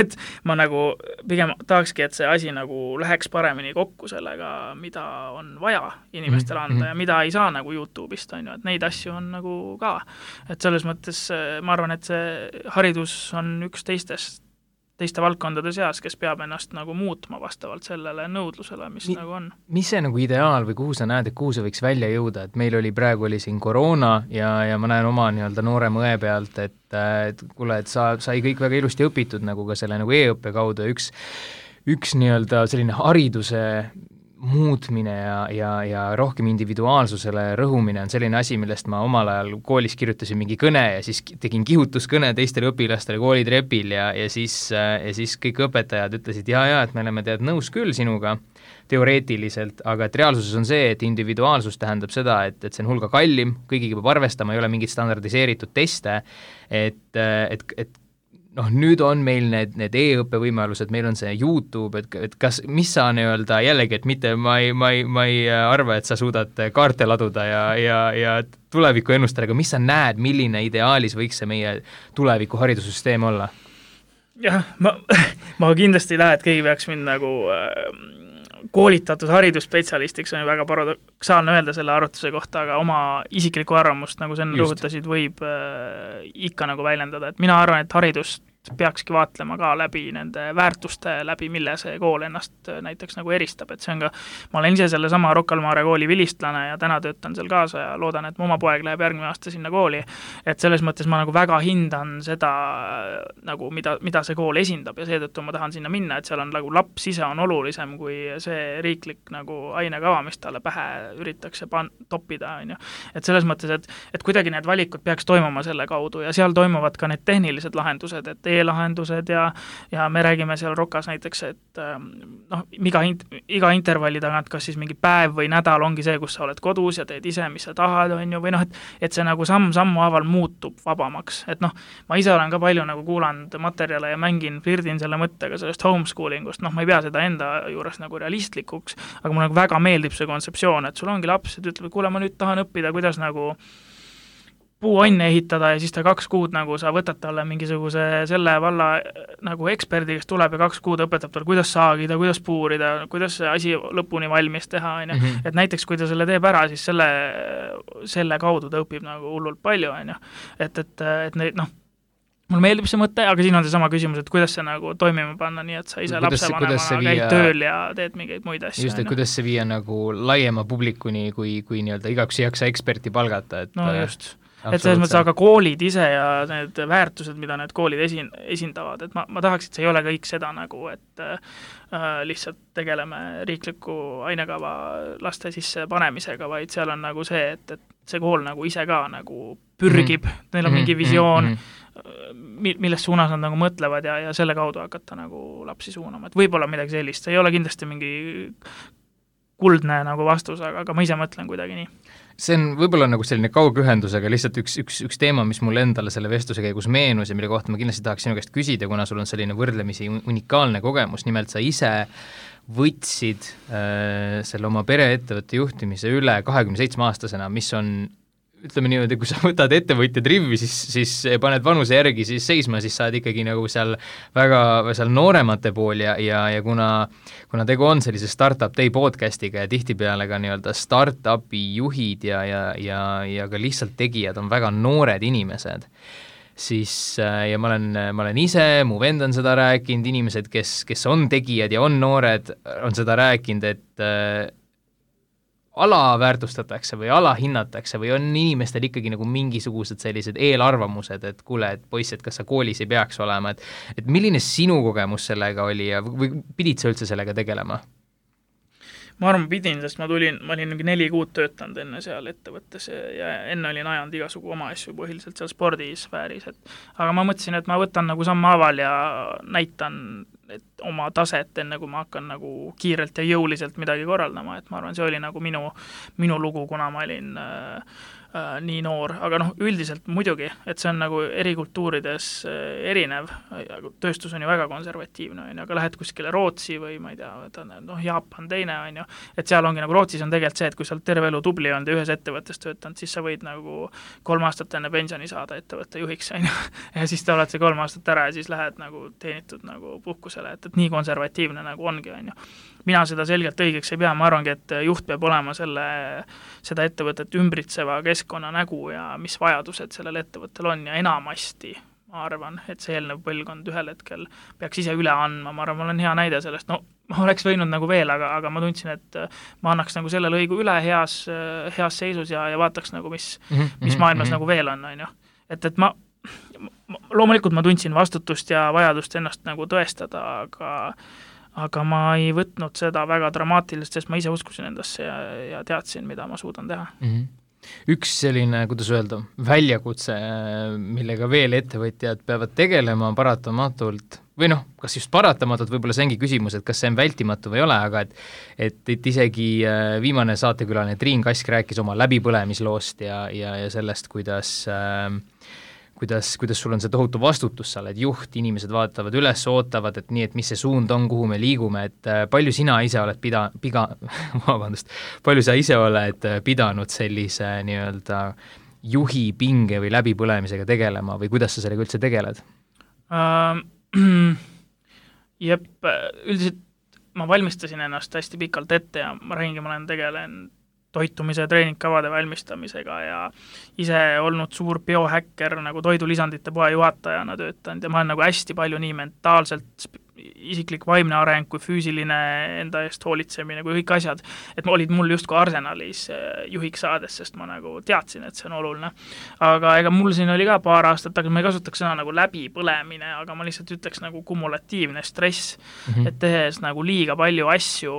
B: et ma nagu pigem tahakski, et see asi nagu läheks paremini kokku sellega, mida on vaja inimestele anda ja mida ei saa nagu YouTube'ist, on ju, et neid asju on nagu ka. Et selles mõttes ma arvan, et see haridus on üks teistest teiste valdkondade seas, kes peab ennast nagu muutma vastavalt sellele nõudlusele, mis nagu on.
A: Mis see nagu ideaal või kuhu sa näed, et kuhu see võiks välja jõuda, et meil praegu oli siin koroona ja ma näen oma nii-öelda noorema õe pealt, et kuule, et sai kõik väga ilusti õpitud nagu ka selle nagu e-õppe kaudu ja üks nii-öelda selline hariduse muutmine ja rohkem individuaalsusele rõhumine on selline asi, millest ma omal ajal koolis kirjutasin mingi kõne ja siis tegin kihutuskõne teistele õpilastele koolitrepil ja siis kõik õpetajad ütlesid, et me oleme nõus küll sinuga teoreetiliselt, aga et reaalsuses on see, et individuaalsus tähendab seda, et see on hulga kallim, kõigiga peab arvestama, ei ole mingit standardiseeritud teste, et nüüd on meil need e-õppe võimalused, meil on see YouTube, et mis sa nii-öelda jällegi, et mitte ma ei arva, et sa suudad kaarte laduda ja tuleviku ennustada, aga mis sa näed, milline ideaalis võiks see meie tuleviku haridussüsteem olla?
B: Jah, ma kindlasti ei lähe, et keegi peaks mind nagu koolitatud haridusspetsialistiks on ju väga paradoksaalne öelda selle arvutuse kohta, aga oma isiklikku arvamust, nagu sa rõhutasid, võib ikka nagu väljendada, et mina arvan, et haridust peakski vaatlema ka läbi nende väärtuste läbi, mille see kool ennast näiteks nagu eristab, et see on ka, ma olen ise selle sama Rocca al Mare kooli vilistlane ja täna töötan seal kaasa ja loodan, et mu oma poeg läheb järgmine aasta sinna kooli, et selles mõttes ma nagu väga hindan seda nagu, mida see kool esindab ja seetõttu ma tahan sinna minna, et seal on nagu laps ise on olulisem kui see riiklik nagu ainekava, mis talle pähe üritakse toppida, on ju. Et selles mõttes, et kuidagi need valikud peaks toimuma selle kaudu ja seal toimuvad ka need tehnilised lahendused, et e-lahendused ja me räägime seal Rocas näiteks, et iga intervalli tagant, kas siis mingi päev või nädal ongi see, kus sa oled kodus ja teed ise, mis sa tahad, on ju, või et see nagu samm-sammu haaval muutub vabamaks, et ma ise olen ka palju nagu kuulanud materjale ja flirdin selle mõttega sellest homeschoolingust, ma ei pea seda enda juures nagu realistlikuks, aga mulle nagu väga meeldib see kontseptsioon, et sul ongi laps, et ütleb, kuule, ma nüüd tahan õppida, kuidas nagu puuonne ehitada ja siis ta 2 kuud nagu sa võtad talle mingisuguse selle valla nagu eksperdi, kes tuleb ja 2 kuud õpetab talle, kuidas saagida, kuidas puurida, kuidas see asi lõpuni valmis teha, on ju. Et näiteks, kui ta selle teeb ära, siis selle kaudu ta õpib nagu hullult palju, on ju. Et neid, mulle meeldib see mõte, aga siin on see sama küsimus, et kuidas see nagu toimima panna, nii et sa ise lapsevanemana käid tööl ja teed mingeid muid asju.
A: Just, et kuidas see viia nagu laiema publikuni, kui nii-öelda igaüks ei jaksa eksperti palgata.
B: No just. Et selles mõttes, aga koolid ise ja need väärtused, mida need koolid esindavad, et ma tahaks, et see ei ole kõik seda nagu, et lihtsalt tegeleme riikliku ainekava laste sisse panemisega, vaid seal on nagu see, et see kool nagu ise ka nagu pürgib, neil on mingi visioon, milles suunas nad nagu mõtlevad ja selle kaudu hakata nagu lapsi suunama, et võib-olla midagi sellist, see ei ole kindlasti mingi kuldne nagu vastus, aga ma ise mõtlen kuidagi nii.
A: See on võib-olla nagu selline kaugühendusega lihtsalt üks teema, mis mulle endale selle vestluse käigus meenus ja mille kohta ma kindlasti tahaks sinu käest küsida, kuna sul on selline võrdlemisi unikaalne kogemus, nimelt sa ise võtsid selle oma pereettevõtte juhtimise üle 27-aastasena, mis on ütleme niimoodi, kui sa võtad ettevõtjad rivvi, siis paned vanuse järgi siis seisma, siis saad ikkagi nagu seal väga seal nooremate pool ja kuna tegu on sellise Startup Day podcastiga ja tihtipeale ka nii-öelda startupi juhid ja ka lihtsalt tegijad on väga noored inimesed, siis ja ma olen ise, mu vend on seda rääkinud, inimesed, kes on tegijad ja on noored, on seda rääkinud, et alaväärtustatakse või alahinnatakse või on inimestel ikkagi nagu mingisugused sellised eelarvamused, et kuule, et poiss, et kas sa koolis ei peaks olema, et milline sinu kogemus sellega oli ja või pidid sa üldse sellega tegelema?
B: Ma arvan, pidin, sest ma olin 4 kuud töötanud enne seal ettevõttes ja enne olin ajanud igasugu oma asju põhiliselt seal spordisfääris, aga ma mõtlesin, et ma võtan nagu sammhaaval ja näitan oma taset, enne kui ma hakkan nagu kiirelt ja jõuliselt midagi korraldama, et ma arvan, see oli nagu minu lugu, kuna ma olin nii noor, aga üldiselt muidugi, et see on nagu eri kultuurides erinev, tööstus on ju väga konservatiivne, aga lähed kuskile Rootsi või ma ei tea, Jaapan teine, on ju, et seal ongi nagu Rootsis on tegelikult see, et kui sa oled terve elu tubli olnud ja ühes ettevõttes töötanud, siis sa võid nagu 3 aastat enne pensioni saada ettevõtte juhiks, on ju, ja siis te oled see 3 aastat ära ja siis lähed nagu teenitud nagu puhkusele, et nii konservatiivne nagu ongi, on ju. Mina seda selgelt õigeks ei pea, ma arvangi, et juht peab olema seda ettevõtet ümbritseva keskkonna nägu ja mis vajadused sellel ettevõttel on ja enamasti ma arvan, et see eelnev põlvkond ühel hetkel peaks ise üle andma, ma arvan, ma olen hea näide sellest, no ma oleks võinud nagu veel, aga ma tundsin, et ma annaks nagu selle lõigu üle heas seisus ja vaataks nagu, mis maailmas nagu veel on ju. Et ma loomulikult ma tundsin vastutust ja vajadust ennast nagu tõestada, aga ma ei võtnud seda väga dramaatiliselt, sest ma ise uskusin endasse ja teadsin, mida ma suudan teha.
A: Üks selline, kuidas öelda, väljakutse, millega veel ettevõtjad peavad tegelema paratamatult, või noh, kas just paratamatult, võib-olla see ongi küsimus, et kas see on vältimatu või ei ole, aga et isegi viimane saatekülaline Triin Kask rääkis oma läbipõlemisloost ja sellest, kuidas sul on see tohutu vastutus, sa oled juht, inimesed vaatavad üles, ootavad, et nii, et mis see suund on, kuhu me liigume, et palju sina ise oled palju sa ise oled pidanud sellise nii-öelda juhi pinge või läbipõlemisega tegelema või kuidas sa sellega üldse tegeled?
B: Üldiselt ma valmistasin ennast hästi pikalt ette ja ma olen tegelenud toitumise ja treeningkavade valmistamisega ja ise olnud suur biohäkker nagu toidulisandite poe juhatajana töötanud ja ma olen nagu hästi palju nii mentaalselt isiklik vaimne areng kui füüsiline enda eest hoolitsemine kui kõik asjad, et olid mul justkui arsenalis juhiks saades, sest ma nagu teadsin, et see on oluline. Aga ega mul siin oli ka paar aastat, aga ma ei kasutaks sõna nagu läbipõlemine, aga ma lihtsalt ütleks nagu kumulatiivne stress, et tehes nagu liiga palju asju,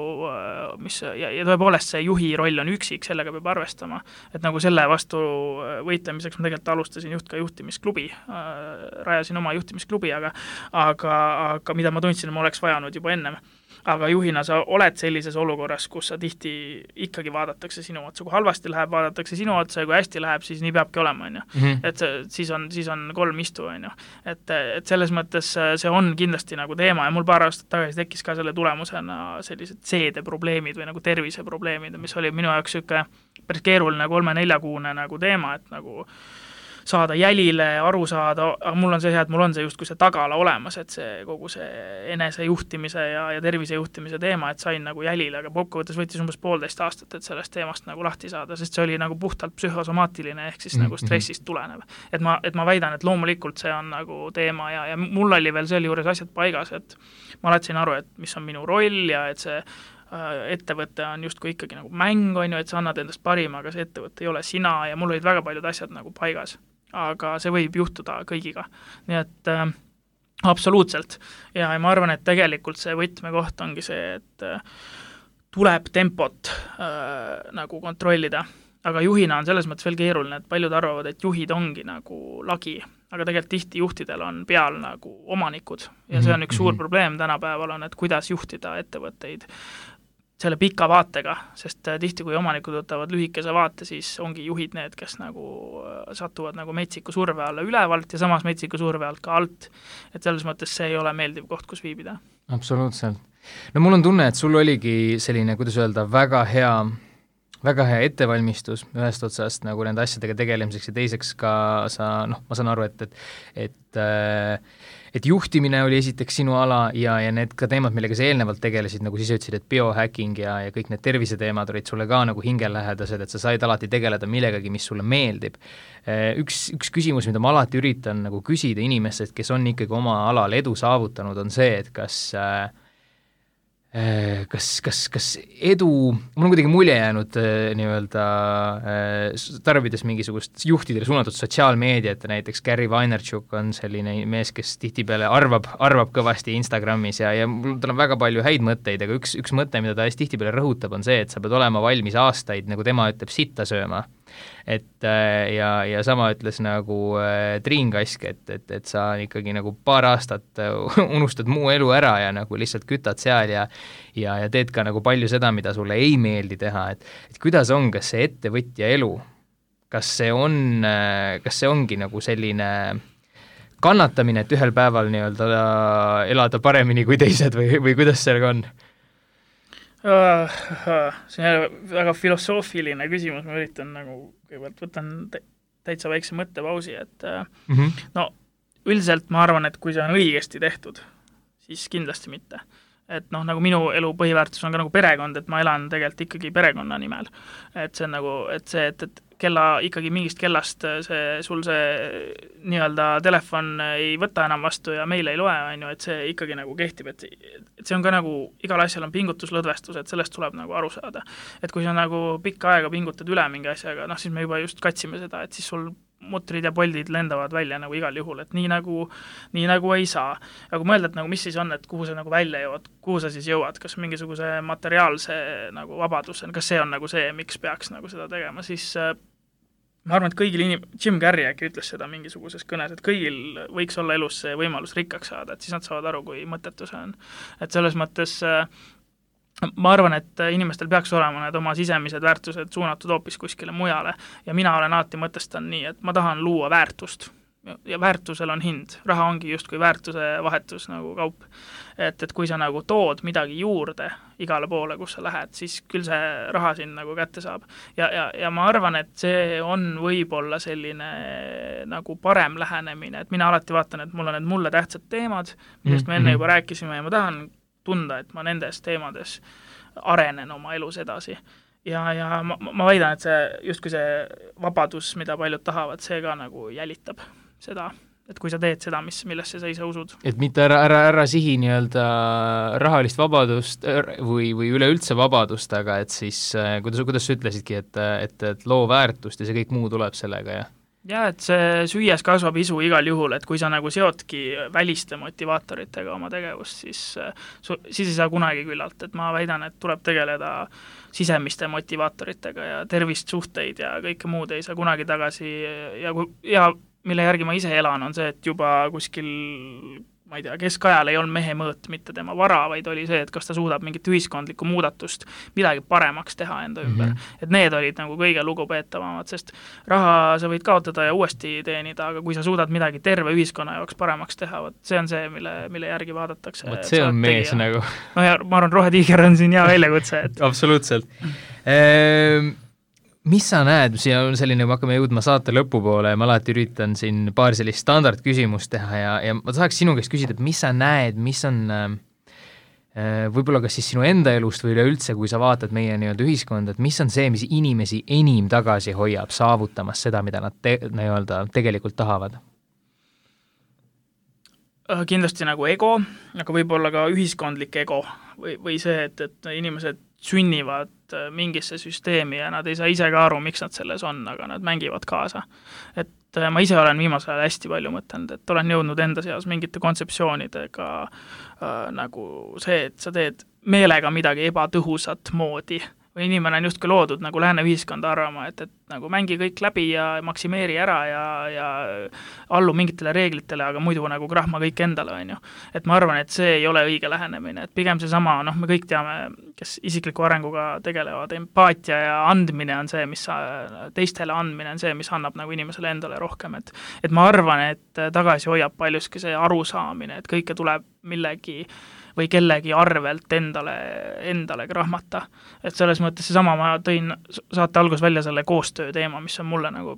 B: mis ja tõepoolest see juhi roll on üksik, sellega peab arvestama, et nagu selle vastu võitlemiseks ma tegelikult alustasin juhtimisklubi, rajasin oma juhtimisklubi, aga mida ma tundsin, ma oleks vajanud juba ennem. Aga juhina sa oled sellises olukorras, kus sa tihti ikkagi vaadatakse sinu otsa, kui halvasti läheb, vaadatakse sinu otsa ja kui hästi läheb, siis nii peabki olema, on ju. Et siis on 3 istu, on ju. Et selles mõttes see on kindlasti nagu teema ja mul paar aastat tagasi tekkis ka selle tulemusena sellised seedeprobleemid või nagu terviseprobleemid, mis oli minu jaoks siuke päris keeruline 3-4 kuune nagu teema, et nagu saada jälile, aru saada, aga mul on see hea, et mul on see justkui see tagala olemas, et see kogu see enesejuhtimise ja tervisejuhtimise teema, et sain nagu jälile, aga kokkuvõttes võttis umbes 1,5 aastat, et sellest teemast nagu lahti saada, sest see oli nagu puhtalt psühhosomaatiline ehk siis nagu stressist tulenev. Et ma väidan, et loomulikult see on nagu teema ja mul oli veel selle juures asjad paigas, et ma alati aru, et mis on minu roll ja et see ettevõte on justkui ikkagi nagu mäng, on ju, et sa annad endast parima, aga see ettevõte ei ole sina ja mul olid väga paljud asjad nagu paigas. Aga see võib juhtuda kõigiga. Nii et absoluutselt. Ja ma arvan, et tegelikult see võtmekoht ongi see, et tuleb tempot nagu kontrollida. Aga juhina on selles mõttes veel keeruline, et paljud arvavad, et juhid ongi nagu lagi, aga tegelikult tihti juhtidel on peal nagu omanikud. Ja see on üks suur probleem tänapäeval on, et kuidas juhtida ettevõtteid selle pika vaatega, sest tihti kui omanikud võtavad lühikese vaate, siis ongi juhid need, kes nagu satuvad nagu metsiku surve alla ülevalt ja samas metsiku surve alt ka alt. Et selles mõttes see ei ole meeldiv koht, kus viibida.
A: Absoluutselt. No mul on tunne, et sul oligi selline, kuidas öelda, väga hea ettevalmistus ühest otsast nagu nende asjadega tegelemiseks ja teiseks ka ma saan aru, et juhtimine oli esiteks sinu ala ja need ka teemad, millega sa eelnevalt tegelesid, nagu siis ütlesid, et biohacking ja kõik need terviseteemad olid sulle ka nagu hingelähedased, et sa said alati tegeleda millegagi, mis sulle meeldib. Üks küsimus, mida ma alati üritan nagu küsida inimestest, kes on ikkagi oma alal edu saavutanud, on see, et kas edu, mul on kuidagi mulje jäänud nii-öelda tarvides mingisugust juhtidele suunatud sotsiaalmeediat, näiteks Gary Vaynerchuk on selline mees, kes tihtipeale arvab kõvasti Instagramis ja tal on väga palju häid mõtteid, aga üks mõte, mida ta tihtipeale rõhutab, on see, et sa pead olema valmis aastaid, nagu tema ütleb, sitta sööma. Ja sama ütles nagu Triin Kask, et sa ikkagi nagu paar aastat unustad muu elu ära ja nagu lihtsalt kütad seal ja teed ka nagu palju seda, mida sulle ei meeldi teha, et kuidas on, kas see ettevõtja elu, kas see ongi nagu selline kannatamine, et ühel päeval nii-öelda elada paremini kui teised või kuidas sellega on?
B: See on väga filosoofiline küsimus, ma üritan nagu kõigepealt võtan täitsa väikse mõttepausi, et no üldiselt ma arvan, et kui see on õigesti tehtud, siis kindlasti mitte. Et nagu minu elu põhiväärtus on ka nagu perekond, et ma elan tegelikult ikkagi perekonna nimel. Et see on nagu, et ikkagi mingist kellast sul see nii-öelda telefon ei võta enam vastu ja meil ei loe, on ju, et see ikkagi nagu kehtib, et see on ka nagu, igal asjal on pingutuslõdvestus, et sellest tuleb nagu aru saada. Et kui sa nagu pikka aega pingutad üle mingi asjaga, siis me juba just katsime seda, et siis sul mutrid ja poldid lendavad välja nagu igal juhul, et nii nagu ei saa. Aga kui mõelda, et nagu mis siis on, et kuhu sa nagu välja jõuad, kuhu sa siis jõuad, kas mingisuguse materiaalse nagu vabaduse, kas see on nagu see, miks peaks nagu seda tegema, siis ma arvan, et kõigil Jim Carrey äkki ütles seda mingisuguses kõnes, et kõigil võiks olla elus see võimalus rikkaks saada, et siis nad saavad aru, kui mõttetu see on. Et selles mõttes ma arvan, et inimestel peaks olema need oma sisemised väärtused suunatud hoopis kuskile mujale ja mina olen alati mõtestan nii, et ma tahan luua väärtust ja väärtusel on hind, raha ongi justkui väärtuse vahetus nagu kaup. Et kui sa nagu tood midagi juurde igale poole, kus sa lähed, siis küll see raha siin nagu kätte saab. Ja ma arvan, et see on võib-olla selline nagu parem lähenemine, et mina alati vaatan, et mul on need mulle tähtsad teemad, millest me enne juba rääkisime ja ma tahan tunda, et ma nendes teemades arenen oma elus edasi. Ja ma väidan, et see justkui see vabadus, mida paljud tahavad, see ka nagu jälitab seda, et kui sa teed seda, millesse sa ise usud.
A: Et mitte ära sihi nii-öelda rahalist vabadust või üleüldse vabadust, aga et siis, kuidas sa ütlesidki, et loo väärtust ja see kõik muu tuleb sellega, jah?
B: Ja, et see süües kasvab isu igal juhul, et kui sa nagu seotki väliste motivaatoritega oma tegevust, siis ei saa kunagi küllalt, et ma väidan, et tuleb tegeleda sisemiste motivaatoritega ja tervist, suhteid ja kõike muud ei saa kunagi tagasi ja mille järgi ma ise elan, on see, et juba kuskil ma ei tea, keskajal ei olnud mehe mõõt mitte tema vara, vaid oli see, et kas ta suudab mingit ühiskondlikku muudatust midagi paremaks teha enda ümber. Et need olid nagu kõige lugupeetavamad, sest raha sa võid kaotada ja uuesti teenida, aga kui sa suudad midagi terve ühiskonna jaoks paremaks teha, see on see, mille järgi vaadatakse.
A: See on mees nagu.
B: No ja ma arvan, Rohetiiger on siin hea väljakutse.
A: Absoluutselt. Mis sa näed, siia on selline, me hakkame jõudma saate lõpupoole ja ma alati üritan siin paar sellist standardküsimust teha ja ma tahaks sinu käest küsida, et mis sa näed, mis on võib-olla kas siis sinu enda elust või üleüldse, kui sa vaatad meie nii-öelda ühiskonda, et mis on see, mis inimesi enim tagasi hoiab saavutamas seda, mida nad tegelikult tahavad?
B: Kindlasti nagu ego, aga võib-olla ka ühiskondlik ego või see, et inimesed sünnivad mingisse süsteemi ja nad ei saa ise ka aru, miks nad selles on, aga nad mängivad kaasa. Et ma ise olen viimasel ajal hästi palju mõtelnud, et olen jõudnud enda seas mingite kontseptsioonidega nagu see, et sa teed meelega midagi ebatõhusat moodi või inimene on justkui loodud nagu lääne ühiskonda arvama, et nagu mängi kõik läbi ja maksimeeri ära ja allu mingitele reeglitele, aga muidu nagu krahma kõik endale, on ju. Et ma arvan, et see ei ole õige lähenemine, et pigem see sama, me kõik teame, kes isikliku arenguga tegelevad, empaatia ja andmine on see, mis teistele andmine on see, mis annab nagu inimesele endale rohkem, et ma arvan, et tagasi hoiab paljuski see arusaamine, et kõike tuleb millegi või kellegi arvelt endale krahmata. Et selles mõttes seesama ma tõin saate algus välja selle koostöö teema, mis on mulle nagu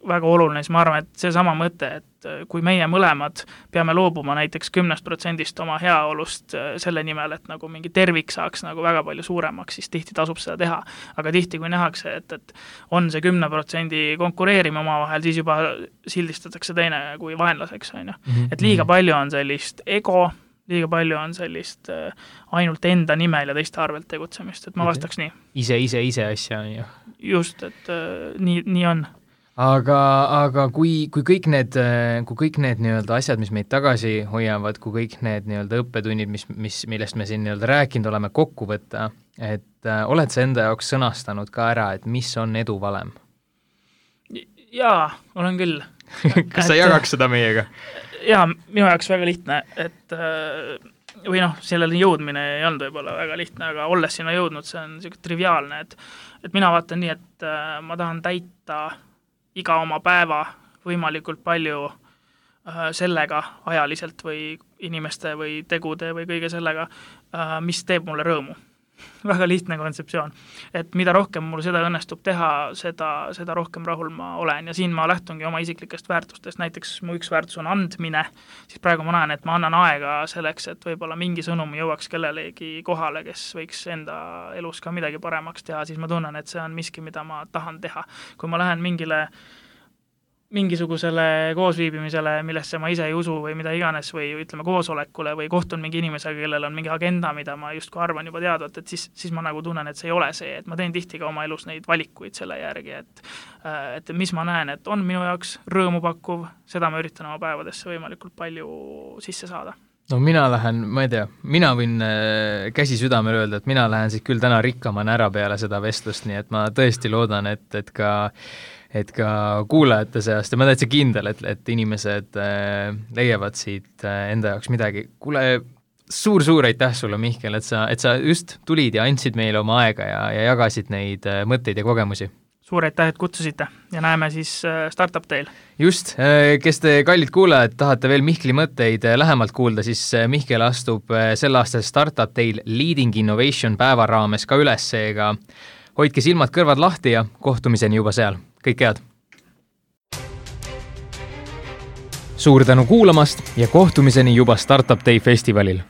B: väga oluline, siis ma arvan, et seesama mõte, et kui meie mõlemad peame loobuma näiteks 10% oma heaolust selle nimel, et nagu mingi tervik saaks nagu väga palju suuremaks, siis tihti tasub seda teha. Aga tihti, kui nähakse, et on see 10% konkureerime omavahel, siis juba sildistatakse teine kui vaenlaseks, on ju. Et liiga palju on sellist ego, liiga palju on sellist ainult enda nimel ja teiste arvelt tegutsemist, et ma vastaks nii.
A: Ise asja on ju.
B: Just, et nii on.
A: Aga kui kõik need nii-öelda asjad, mis meid tagasi hoiavad, kui kõik need nii-öelda õppetunnid, millest me siin nii-öelda rääkinud oleme, kokku võtta, et oled sa enda jaoks sõnastanud ka ära, et mis on edu valem?
B: Jaa, olen küll.
A: Kas sa jagaks seda meiega?
B: Jaa, minu jaoks väga lihtne, et või sellele jõudmine ei olnud võib-olla väga lihtne, aga olles sinna jõudnud, see on niisugune triviaalne, et mina vaatan nii, et ma tahan täita iga oma päeva võimalikult palju sellega ajaliselt või inimeste või tegude või kõige sellega, mis teeb mulle rõõmu. väga lihtne kontseptsioon. Et mida rohkem mul seda õnnestub teha, seda rohkem rahul ma olen ja siin ma lähtungi oma isiklikest väärtustest, näiteks mu üks väärtus on andmine, siis praegu ma näen, et ma annan aega selleks, et võib-olla mingi sõnum jõuaks kellelegi kohale, kes võiks enda elus ka midagi paremaks teha, siis ma tunnen, et see on miski, mida ma tahan teha. Kui ma lähen mingisugusele koosviibimisele, millesse ma ise ei usu või mida iganes või ütleme koosolekule või kohtun mingi inimesega, kellel on mingi agenda, mida ma justkui arvan juba teadvat, et siis ma nagu tunnen, et see ei ole see, et ma teen tihti ka oma elus neid valikuid selle järgi, et mis ma näen, et on minu jaoks rõõmu pakkuv, seda ma üritan oma päevadesse võimalikult palju sisse saada.
A: No mina lähen, ma ei tea, mina võin käsi südamel öelda, et mina lähen siit küll täna rikkamana ära peale seda vestlust, nii et ma tõesti loodan, et ka kuulajate seast ja ma täitsa kindel, et inimesed leiavad siit enda jaoks midagi. Kuule, suur aitäh sulle, Mihkel, et sa just tulid ja andsid meile oma aega ja jagasid neid mõtteid ja kogemusi.
B: Suur aitäh, et kutsusite ja näeme siis Startup Day'l. Just,
A: kes te kallid kuulajad, tahate veel Mihkli mõtteid lähemalt kuulda, siis Mihkel astub sel aastal Startup Day'l Leading Innovation päeva raames ka üles, seega hoidke silmad kõrvad lahti ja kohtumiseni juba seal. Kõik head! Suur tänu kuulamast ja kohtumiseni juba Startup Day festivalil!